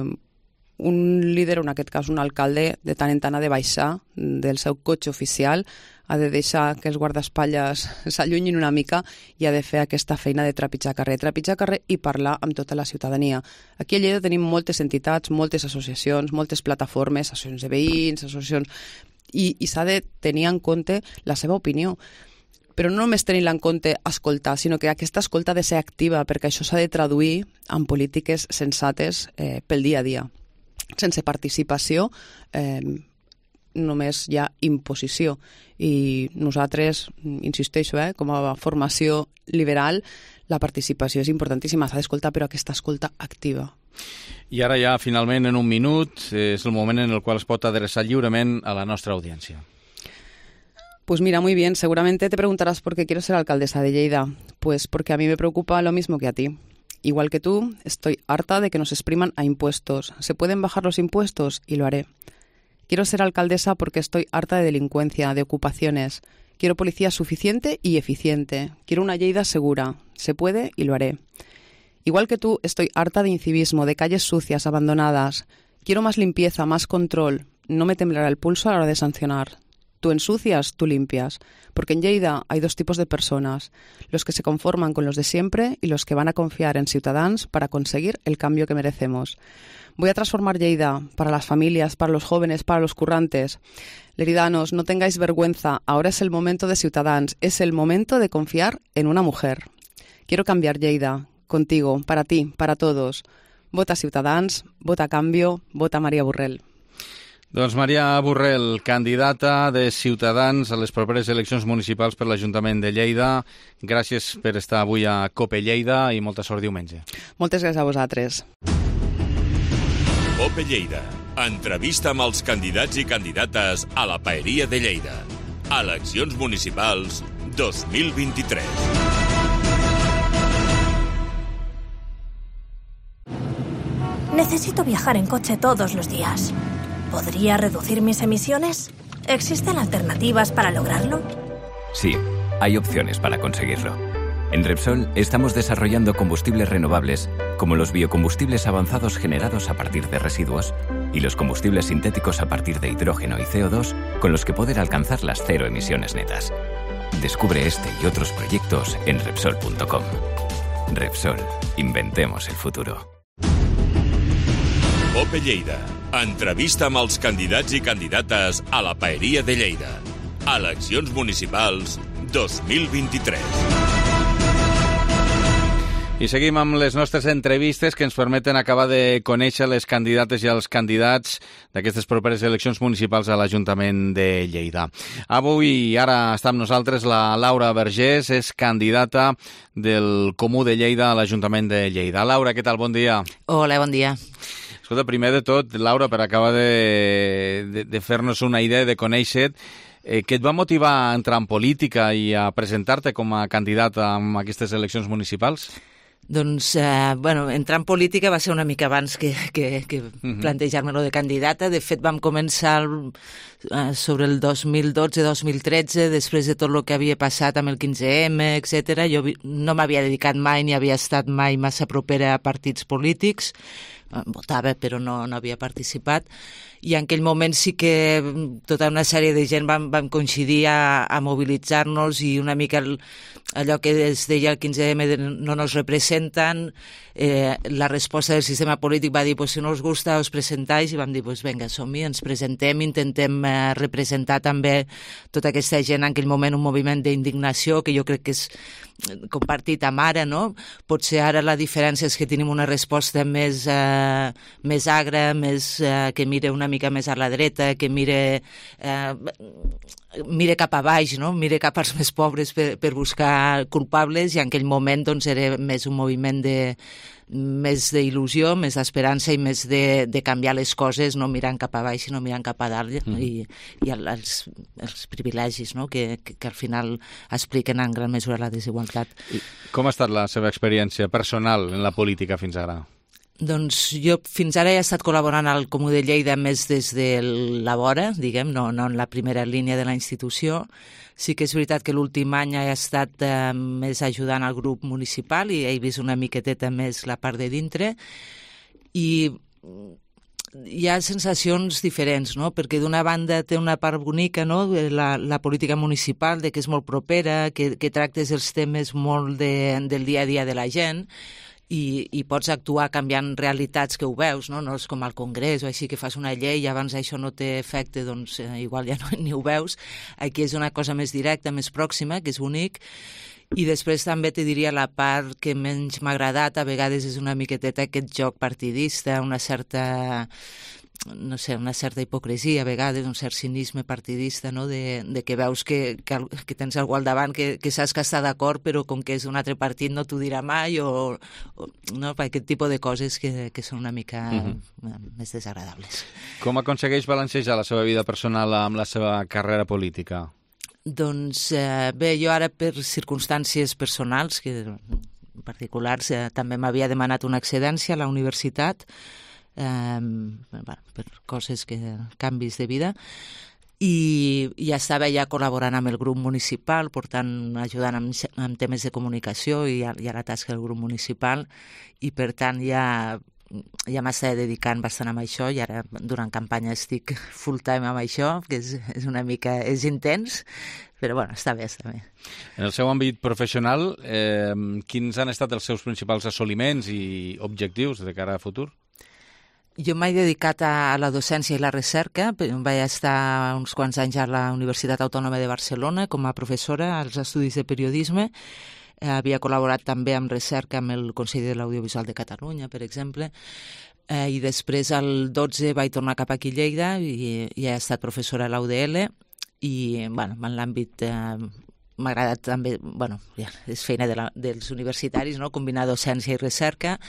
un líder, en aquest cas un alcalde, de tant en tant ha de baixar del seu cotxe oficial, ha de deixar que els guardaespatlles s'allunyin una mica i ha de fer aquesta feina de trepitjar carrer. Trepitjar carrer i parlar amb tota la ciutadania. Aquí a Lleida tenim moltes entitats, moltes associacions, moltes plataformes, associacions de veïns, associacions... I, i s'ha de tenir en compte la seva opinió. Però no només tenir-la en compte escoltar, sinó que aquesta escolta ha de ser activa, perquè això s'ha de traduir en polítiques sensates eh, pel dia a dia. Sense participació eh, només hi ha imposició. I nosaltres, insisteixo, eh, com a formació liberal, la participació és importantíssima, s'ha d'escoltar, però aquesta escolta activa. I ara ja, finalment, en un minut, és el moment en el qual es pot adreçar lliurement a la nostra audiència. Pues mira, muy bien, seguramente te preguntarás por qué quiero ser alcaldesa de Lleida. Pues porque a mí me preocupa lo mismo que a ti. Igual que tú, estoy harta de que nos expriman a impuestos. ¿Se pueden bajar los impuestos? Y lo haré. Quiero ser alcaldesa porque estoy harta de delincuencia, de ocupaciones. Quiero policía suficiente y eficiente. Quiero una Lleida segura. Se puede y lo haré. Igual que tú, estoy harta de incivismo, de calles sucias, abandonadas. Quiero más limpieza, más control. No me temblará el pulso a la hora de sancionar. Tú ensucias, tú limpias. Porque en Lleida hay dos tipos de personas. Los que se conforman con los de siempre y los que van a confiar en Ciutadans para conseguir el cambio que merecemos. Voy a transformar Lleida para las familias, para los jóvenes, para los currantes. Leridanos, no tengáis vergüenza. Ahora es el momento de Ciutadans. Es el momento de confiar en una mujer. Quiero cambiar Lleida. Contigo, para ti, para todos. Vota Ciutadans, vota Cambio, vota Maria Borrell. Doncs Maria Borrell, candidata de Ciutadans a les properes eleccions municipals per l'Ajuntament de Lleida. Gràcies per estar avui a Cope Lleida i molta sort diumenge. Moltes gràcies a vosaltres. Cope Lleida. Entrevista amb els candidats i candidates a la Paeria de Lleida. Eleccions municipals dos mil vint-i-tres. Necesito viajar en coche todos los días. ¿Podría reducir mis emisiones? ¿Existen alternativas para lograrlo? Sí, hay opciones para conseguirlo. En Repsol estamos desarrollando combustibles renovables, como los biocombustibles avanzados generados a partir de residuos y los combustibles sintéticos a partir de hidrógeno y C O dos, con los que poder alcanzar las cero emisiones netas. Descubre este y otros proyectos en Repsol punto com. Repsol, inventemos el futuro. Cope Lleida. Entrevista amb els candidats i candidates a la Paeria de Lleida. Eleccions municipals dos mil vint-i-tres. I seguim amb les nostres entrevistes que ens permeten acabar de conèixer les candidates i els candidats d'aquestes properes eleccions municipals a l'Ajuntament de Lleida. Avui, ara està amb nosaltres la Laura Vergés, és candidata del Comú de Lleida a l'Ajuntament de Lleida. Laura, què tal? Bon dia. Hola, bon dia. Escolta, primer de tot, Laura, per acabar de, de, de fer-nos una idea, de conèixer, eh, què et va motivar a entrar en política i a presentar-te com a candidata en aquestes eleccions municipals? Doncs, eh, bueno, entrar en política va ser una mica abans que, que, que uh-huh. plantejar-me-lo de candidata. De fet, vam començar el, eh, sobre el dos mil dotze dos mil tretze, després de tot el que havia passat amb el quinze eme, etcètera. Jo no m'havia dedicat mai ni havia estat mai massa propera a partits polítics. Votava, però no, no havia participat. i en aquell moment sí que tota una sèrie de gent vam, vam coincidir a, a mobilitzar-nos i una mica el, allò que es deia el quinze eme de no nos representen, eh, la resposta del sistema polític va dir pues, si no us gusta us presentáis, i vam dir pues, vinga, som-hi, ens presentem, intentem eh, representar també tota aquesta gent, en aquell moment un moviment d'indignació que jo crec que és compartit amb ara, no? Potser ara la diferència és que tenim una resposta més, eh, més agra, més, eh, que mire una mica més a la dreta, que mire, eh, mire cap a baix, no? Mire cap als més pobres per, per buscar culpables, i en aquell moment doncs, era més un moviment de més d'il·lusió, més d'esperança i més de, de canviar les coses, no mirant cap a baix, sinó mirant cap a dalt, mm. i, i el, els, els privilegis, no? que, que, que al final expliquen en gran mesura la desigualtat. I com ha estat la seva experiència personal en la política fins ara? Doncs jo fins ara he estat col·laborant al Comú de Lleida més des de la vora, diguem, no, no en la primera línia de la institució. Sí que és veritat que l'últim any he estat eh, més ajudant al grup municipal i he vist una miqueteta més la part de dintre, i hi ha sensacions diferents, no? Perquè d'una banda té una part bonica, no? la, la política municipal, de que és molt propera, que, que tractes els temes molt de, del dia a dia de la gent, i, i pots actuar canviant realitats que ho veus, no? No és com al Congrés o així que fas una llei i abans això no té efecte, doncs eh, igual ja no, ni ho veus. Aquí és una cosa més directa, més pròxima, que és bonic. I després també te diria la part que menys m'ha agradat, a vegades és una miqueteta aquest joc partidista, una certa... no sé, una certa hipocresia a vegades, un cert cinisme partidista, no? de, de que veus que, que, que tens algú al davant que, que saps que està d'acord, però com que és un altre partit no t'ho dirà mai, o, o no? Aquest tipus de coses que, que són una mica uh-huh. més desagradables. Com aconsegueix balancejar la seva vida personal amb la seva carrera política? Doncs eh, bé, jo ara per circumstàncies personals, que particulars, eh, també m'havia demanat una excedència a la universitat, Um, bueno, per coses que canvis de vida, i ja estava ja col·laborant amb el grup municipal, portant, ajudant amb, amb temes de comunicació i a, i a la tasca del grup municipal, i per tant ja ja m'estava dedicant bastant amb això, i ara durant campanya estic full time amb això, que és, és una mica és intens, però bueno, està bé, està bé. En el seu àmbit professional, eh, quins han estat els seus principals assoliments i objectius de cara a futur? Jo m'he dedicat a la docència i la recerca. Vaig estar uns quants anys a la Universitat Autònoma de Barcelona com a professora als estudis de periodisme. Havia col·laborat també amb recerca amb el Consell de l'Audiovisual de Catalunya, per exemple. Eh, I després, al dotze, vaig tornar cap aquí a Lleida i, i he estat professora a l'U D L. I, bueno, en l'àmbit... Eh, m'ha agradat també... Bueno, ja, és feina de la, dels universitaris, no? Combinar docència i recerca.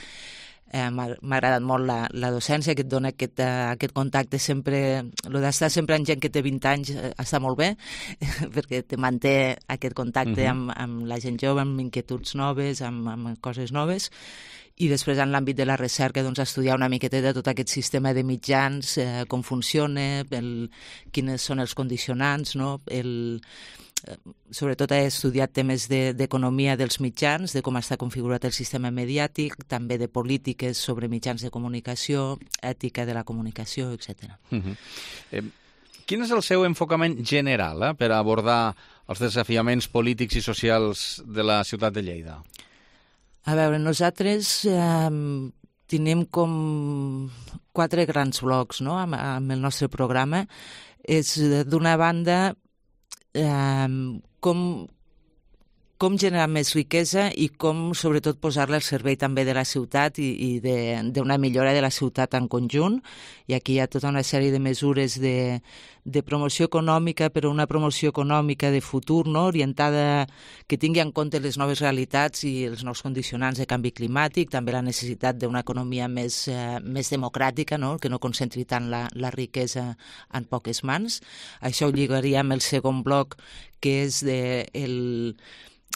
Eh, m'ha agradat molt la, la docència, que et dona aquest, uh, aquest contacte sempre, el d'estar sempre amb gent que té vint anys uh, està molt bé, perquè te manté aquest contacte uh-huh. amb, amb la gent jove, amb inquietuds noves, amb, amb coses noves. I després en l'àmbit de la recerca doncs, estudiar una miqueta tot aquest sistema de mitjans, eh, com funciona, el, quines són els condicionants, no? el... Sobretot he estudiat temes d'economia de, dels mitjans, de com està configurat el sistema mediàtic, també de polítiques sobre mitjans de comunicació, ètica de la comunicació, etcètera. Uh-huh. eh, quin és el seu enfocament general eh, per abordar els desafiaments polítics i socials de la ciutat de Lleida? A veure, nosaltres eh, tenim com quatre grans blocs, no?, amb, amb el nostre programa. És, d'una banda, Um, com, com generar més riquesa i com, sobretot, posar-la al servei també de la ciutat i, i d'una millora de la ciutat en conjunt. I aquí hi ha tota una sèrie de mesures de, de promoció econòmica, però una promoció econòmica de futur, no? Orientada, que tingui en compte les noves realitats i els nous condicionants de canvi climàtic, també la necessitat d'una economia més, eh, més democràtica, no? Que no concentri tant la, la riquesa en poques mans. Això ho lligaria amb el segon bloc, que és de, el,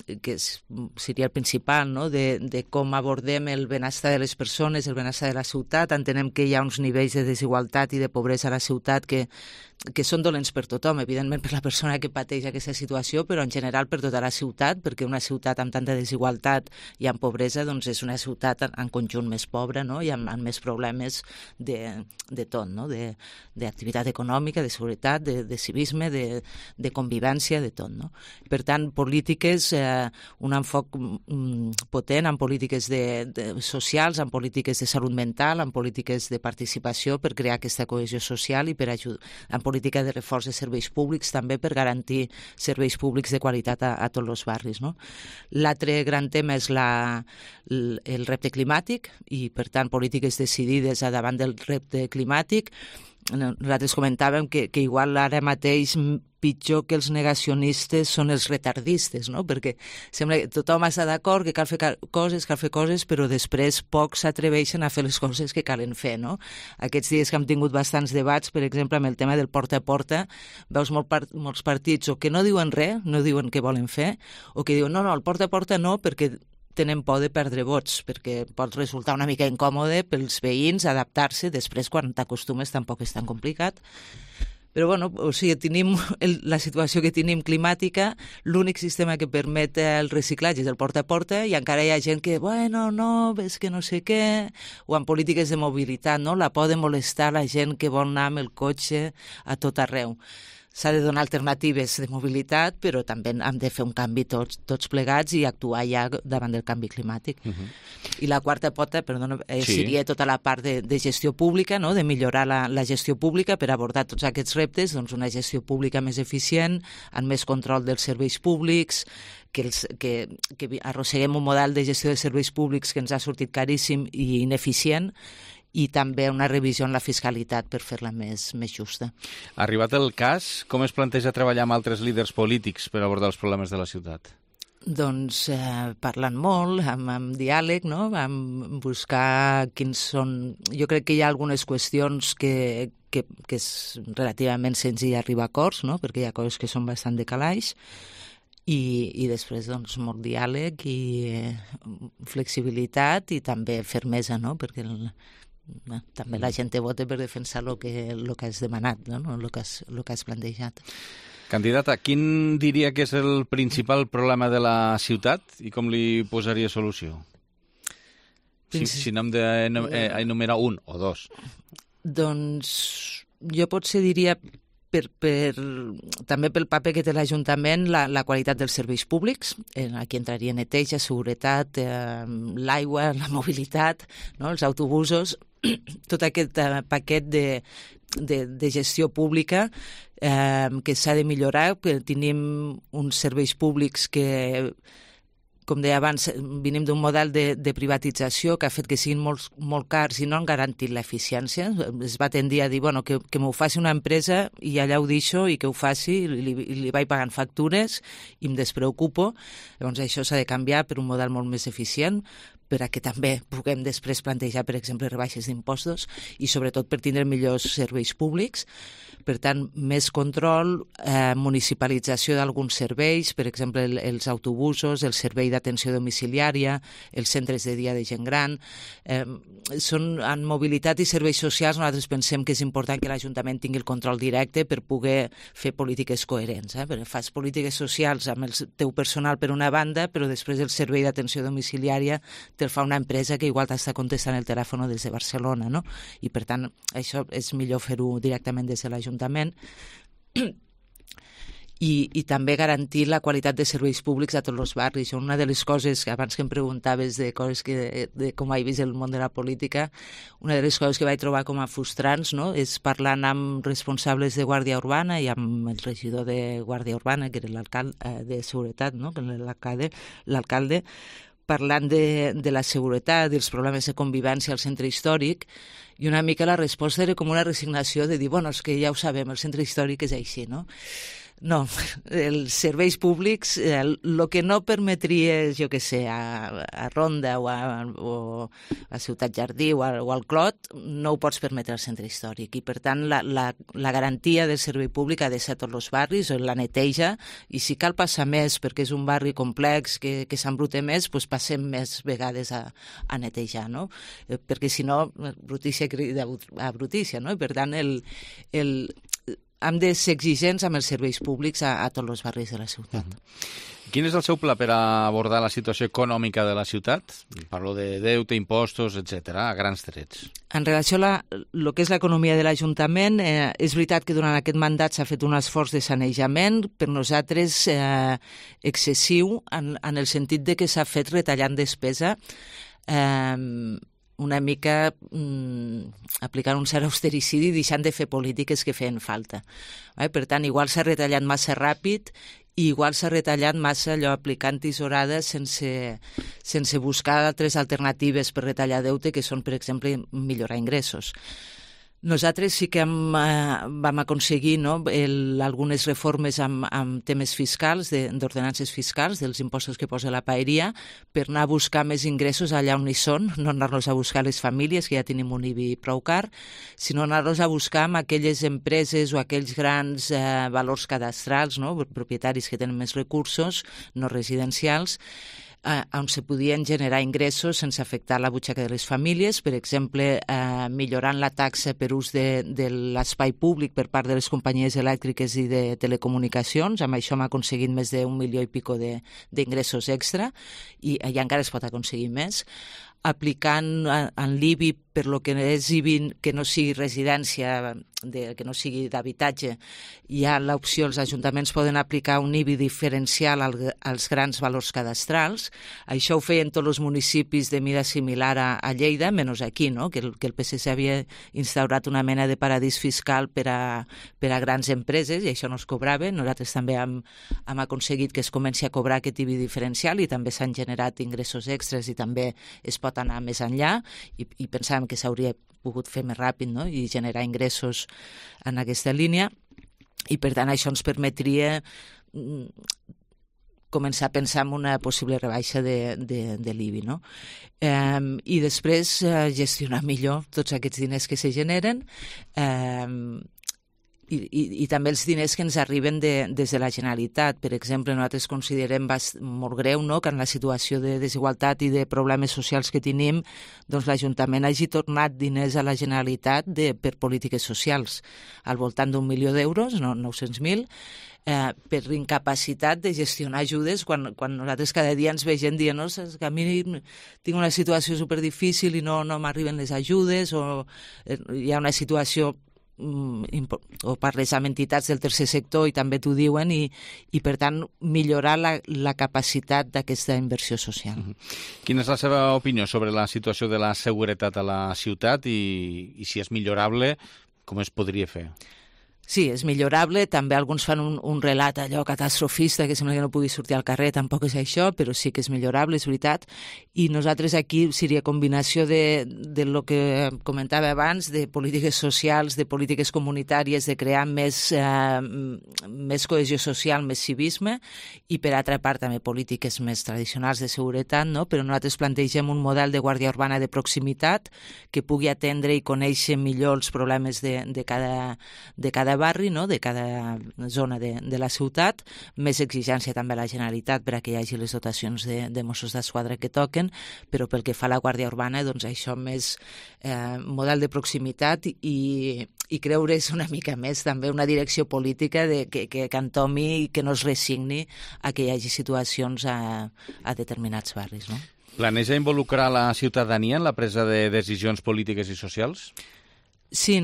que és, seria el principal, no? de, de com abordem el benestar de les persones, el benestar de la ciutat. Entenem que hi ha uns nivells de desigualtat i de pobresa a la ciutat que, que són dolents per tothom, evidentment per la persona que pateix aquesta situació, però en general per tota la ciutat, perquè una ciutat amb tanta desigualtat i amb pobresa doncs és una ciutat en conjunt més pobra, no? I amb, amb més problemes de, de tot, no? de, d'activitat econòmica, de seguretat, de, de civisme, de, de convivència, de tot. No? Per tant, polítiques, eh, un enfoc mm, potent en polítiques de, de, socials, en polítiques de salut mental, en polítiques de participació per crear aquesta cohesió social i per ajudar, en política de reforç de serveis públics també per garantir serveis públics de qualitat a, a tots els barris. No? L'altre gran tema és la, el repte climàtic i, per tant, polítiques decidides a davant del repte climàtic. Nosaltres comentàvem que, que igual ara mateix pitjor que els negacionistes són els retardistes, no? Perquè sembla que tothom està d'acord que cal fer coses, cal fer coses, però després pocs s'atreveixen a fer les coses que calen fer, no? Aquests dies que hem tingut bastants debats, per exemple, amb el tema del porta a porta, veus molt part, molts partits o que no diuen res, no diuen què volen fer, o que diuen no, no, el porta a porta no, perquè tenen por de perdre vots, perquè pot resultar una mica incòmode pels veïns adaptar-se, després quan t'acostumes tampoc és tan complicat. Però bueno, o sigui, tenim el, la situació que tenim climàtica, l'únic sistema que permet el reciclatge és el porta a porta i encara hi ha gent que, bueno, no, és que no sé què, o en polítiques de mobilitat, no? La por de molestar la gent que vol anar amb el cotxe a tot arreu. S'ha de donar alternatives de mobilitat, però també hem de fer un canvi tots, tots plegats i actuar ja davant del canvi climàtic. Uh -huh. I la quarta pota, perdona, eh, sí. seria tota la part de, de gestió pública, no? De millorar la, la gestió pública per abordar tots aquests reptes, doncs una gestió pública més eficient, amb més control dels serveis públics, que, els, que, que arrosseguem un model de gestió de serveis públics que ens ha sortit caríssim i ineficient, i també una revisió en la fiscalitat per fer-la més, més justa. Arribat el cas, com es planteja treballar amb altres líders polítics per abordar els problemes de la ciutat? Doncs eh, parlant molt, amb, amb diàleg, no? Amb buscar quins són... Jo crec que hi ha algunes qüestions que, que, que és relativament senzill arribar a acords, no? Perquè hi ha coses que són bastant de calaix, i, i després doncs, molt diàleg i eh, flexibilitat i també fermesa, no? Perquè el, no, també la gent te vota per defensar el que, el que has demanat, no? El que has, el que has plantejat. Candidata, quin diria que és el principal problema de la ciutat i com li posaria solució? Si, si n'hem d'enumerar un o dos. Doncs jo potser diria... Per, per, també pel paper que té l'Ajuntament, la, la qualitat dels serveis públics. Eh, aquí entraria neteja, seguretat, eh, l'aigua, la mobilitat, no? Els autobusos, tot aquest eh, paquet de, de, de gestió pública eh, que s'ha de millorar, que tenim uns serveis públics que... Com deia abans, venim d'un model de, de privatització que ha fet que siguin molt, molt cars i no han garantit l'eficiència. Es va tendir a dir bueno, que, que m'ho faci una empresa i allà ho deixo i que ho faci, i li, li vaig pagant factures i em despreocupo. Llavors això s'ha de canviar per un model molt més eficient, per a que també puguem després plantejar, per exemple, rebaixes d'impostos i sobretot per tindre millors serveis públics. Per tant, més control, eh, municipalització d'alguns serveis, per exemple, el, els autobusos, el servei d'atenció domiciliària, els centres de dia de gent gran. Eh, són, en mobilitat i serveis socials nosaltres pensem que és important que l'Ajuntament tingui el control directe per poder fer polítiques coherents. Eh? Perquè fas polítiques socials amb el teu personal per una banda, però després el servei d'atenció domiciliària te'l fa una empresa que igual t'està contestant el telèfon des de Barcelona, no? I per tant això és millor fer-ho directament des de l'Ajuntament. I, i també garantir la qualitat de serveis públics a tots els barris. Una de les coses, que abans que em preguntaves de coses que, de com he vist el món de la política, una de les coses que vaig trobar com a frustrants, no?, és parlant amb responsables de Guàrdia Urbana i amb el regidor de Guàrdia Urbana, que era l'alcalde de Seguretat, no?, que era l'alcalde, l'alcalde parlant de, de la seguretat, dels problemes de convivència al centre històric, i una mica la resposta era com una resignació de dir, bueno, és que ja ho sabem, el centre històric és així, no? No, els serveis públics, el que no permetria, jo què sé, a, a Ronda o a, o a Ciutat Jardí o, a, o al Clot, no ho pots permetre al centre històric. I, per tant, la, la, la garantia del servei públic ha de ser a tots els barris, o la neteja, i si cal passar més, perquè és un barri complex, que, que s'embrute més, doncs passem més vegades a, a netejar, no? Perquè, si no, brutícia crida a brutícia, no? I, per tant, el... el hem de ser exigents amb els serveis públics a, a tots els barris de la ciutat. Mm. Quin és el seu pla per a abordar la situació econòmica de la ciutat? Parlo de deute, impostos, etcètera, a grans trets. En relació a el que és l'economia de l'Ajuntament, eh, és veritat que durant aquest mandat s'ha fet un esforç de sanejament, per nosaltres eh, excessiu, en, en el sentit de que s'ha fet retallant despesa, eh, una mica mm, aplicant un cert austericidi i deixant de fer polítiques que feien falta. Eh? Per tant, igual s'ha retallat massa ràpid i igual s'ha retallat massa allò aplicant tisorades sense, sense buscar altres alternatives per retallar deute, que són, per exemple, millorar ingressos. Nosaltres sí que hem, eh, vam aconseguir no, el, algunes reformes amb, amb temes fiscals, d'ordenances fiscals, dels impostos que posa la paeria, per anar a buscar més ingressos allà on hi són, no anar-los a buscar les famílies, que ja tenim un I B I prou car, sinó anar-los a buscar amb aquelles empreses o aquells grans eh, valors cadastrals, no, propietaris que tenen més recursos, no residencials, Eh, on se podien generar ingressos sense afectar la butxaca de les famílies, per exemple, eh, millorant la taxa per ús de, de l'espai públic per part de les companyies elèctriques i de telecomunicacions. Amb això hem aconseguit més d'un milió i pico d'ingressos extra i, i encara es pot aconseguir més. Aplicant en l'I B I per lo que és I B I que no sigui residència, de, que no sigui d'habitatge, hi ha l'opció, els ajuntaments poden aplicar un I B I diferencial al, als grans valors cadastrals. Això ho feien tots els municipis de mida similar a, a Lleida, menys aquí, no? que, el, que el P S C havia instaurat una mena de paradís fiscal per a, per a grans empreses i això no es cobrava. Nosaltres també hem, hem aconseguit que es comenci a cobrar aquest I B I diferencial i també s'han generat ingressos extras i també es pot anar més enllà i, i pensàvem que s'hauria pogut fer més ràpid, no? I generar ingressos en aquesta línia i per tant això ens permetria començar a pensar en una possible rebaixa de, de, de l'I B I, no? Eh, I després eh, gestionar millor tots aquests diners que se generen eh, I, i, i també els diners que ens arriben de, des de la Generalitat. Per exemple, nosaltres considerem bast, molt greu no? que en la situació de desigualtat i de problemes socials que tenim, doncs l'Ajuntament hagi tornat diners a la Generalitat de, per polítiques socials, al voltant d'un milió d'euros, no, nou-cents mil, eh, per incapacitat de gestionar ajudes quan, quan nosaltres cada dia ens veiem dient no, que a mi tinc una situació superdifícil i no, no m'arriben les ajudes o eh, hi ha una situació o parles amb entitats del tercer sector i també t'ho diuen i, i per tant millorar la, la capacitat d'aquesta inversió social. Quina és la seva opinió sobre la situació de la seguretat a la ciutat i, i si és millorable, com es podria fer? Sí, és millorable. També alguns fan un, un relat allò catastrofista que sembla que no pugui sortir al carrer, tampoc és això, però sí que és millorable, és veritat. I nosaltres aquí seria combinació de, de lo que comentava abans, de polítiques socials, de polítiques comunitàries, de crear més, eh, més cohesió social, més civisme, i per altra part també polítiques més tradicionals de seguretat, no? Però nosaltres plantegem un model de guàrdia urbana de proximitat que pugui atendre i conèixer millor els problemes de, de cada, de cada barri, no? De cada zona de, de la ciutat, més exigència també a la Generalitat per a que hi hagi les dotacions de, de Mossos d'Esquadra que toquen, però pel que fa a la Guàrdia Urbana, doncs això més eh, model de proximitat i, i creure's una mica més també una direcció política de, que, que, que entomi i que no es resigni a que hi hagi situacions a, a determinats barris, no? Planeja involucrar la ciutadania en la presa de decisions polítiques i socials? Sí,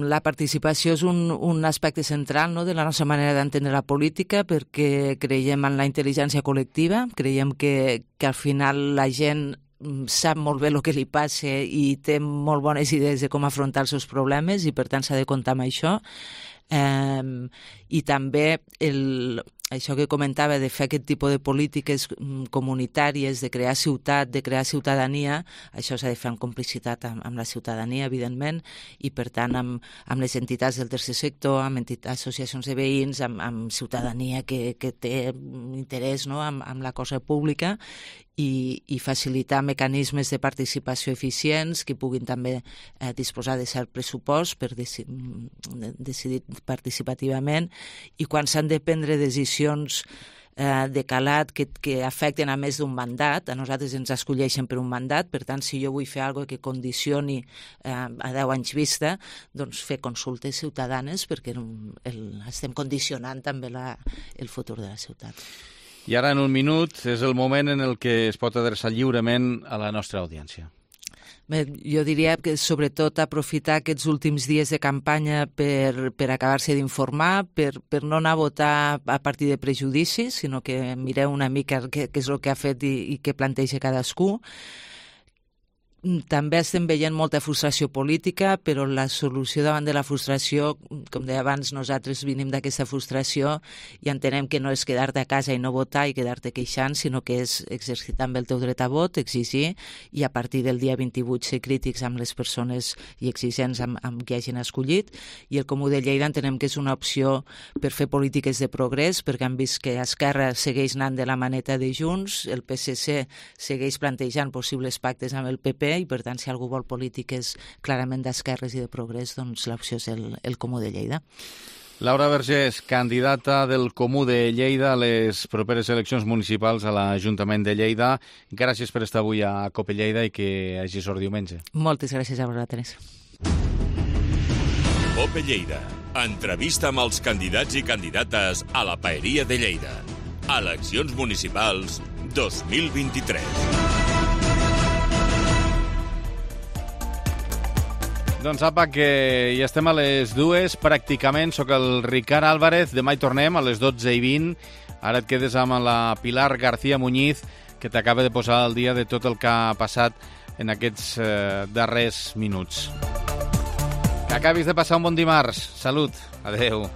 la participació és un, un aspecte central no, de la nostra manera d'entendre la política perquè creiem en la intel·ligència col·lectiva, creiem que, que al final la gent sap molt bé el que li passa i té molt bones idees de com afrontar els seus problemes i per tant s'ha de comptar amb això. Eh, i també el, això que comentava de fer aquest tipus de polítiques comunitàries, de crear ciutat, de crear ciutadania, això s'ha de fer en complicitat amb, amb la ciutadania, evidentment, i per tant amb, amb les entitats del tercer sector, amb entitats, associacions de veïns, amb, amb ciutadania que, que té interès, no?, amb, amb la cosa pública, i, i facilitar mecanismes de participació eficients que puguin també eh, disposar de cert pressupost per deci decidir participativament, i quan s'han de prendre decisions eh, de calat que, que afecten a més d'un mandat, a nosaltres ens escolleixen per un mandat, per tant, si jo vull fer alguna cosa que condicioni eh, a deu anys vista, doncs fer consultes ciutadanes, perquè el, estem condicionant també la, el futur de la ciutat. I ara, en un minut, és el moment en el que es pot adreçar lliurement a la nostra audiència. Bé, jo diria que sobretot aprofitar aquests últims dies de campanya per, per acabar-se d'informar, per, per no anar a votar a partir de prejudicis, sinó que mireu una mica què, què és el que ha fet i, i què planteja cadascú. També estem veient molta frustració política, però la solució davant de la frustració, com deia abans, nosaltres venim d'aquesta frustració i entenem que no és quedar-te a casa i no votar i quedar-te queixant, sinó que és exercitar també el teu dret a vot, exigir, i a partir del dia vint-i-vuit ser crítics amb les persones i exigents amb, amb qui hagin escollit. I el Comú de Lleida entenem que és una opció per fer polítiques de progrés, perquè han vist que Esquerra segueix anant de la maneta de Junts, el P S C segueix plantejant possibles pactes amb el P P, i per tant, si algú vol polítiques clarament d'esquerres i de progrés, doncs l'opció és el, el Comú de Lleida. Laura Vergés, candidata del Comú de Lleida a les properes eleccions municipals a l'Ajuntament de Lleida. Gràcies per estar avui a Cope Lleida i que hagi sort diumenge. Moltes gràcies a vosaltres. Cope Lleida. Entrevista amb els candidats i candidates a la Paeria de Lleida. Eleccions municipals dos mil vint-i-tres. Doncs apa, que ja estem a les dues, pràcticament. Soc el Ricard Álvarez, demà hi tornem a les dotze i vint. Ara et quedes amb la Pilar García Muñiz, que t'acaba de posar al dia de tot el que ha passat en aquests eh, darrers minuts. Que acabis de passar un bon dimarts. Salut. Adeu.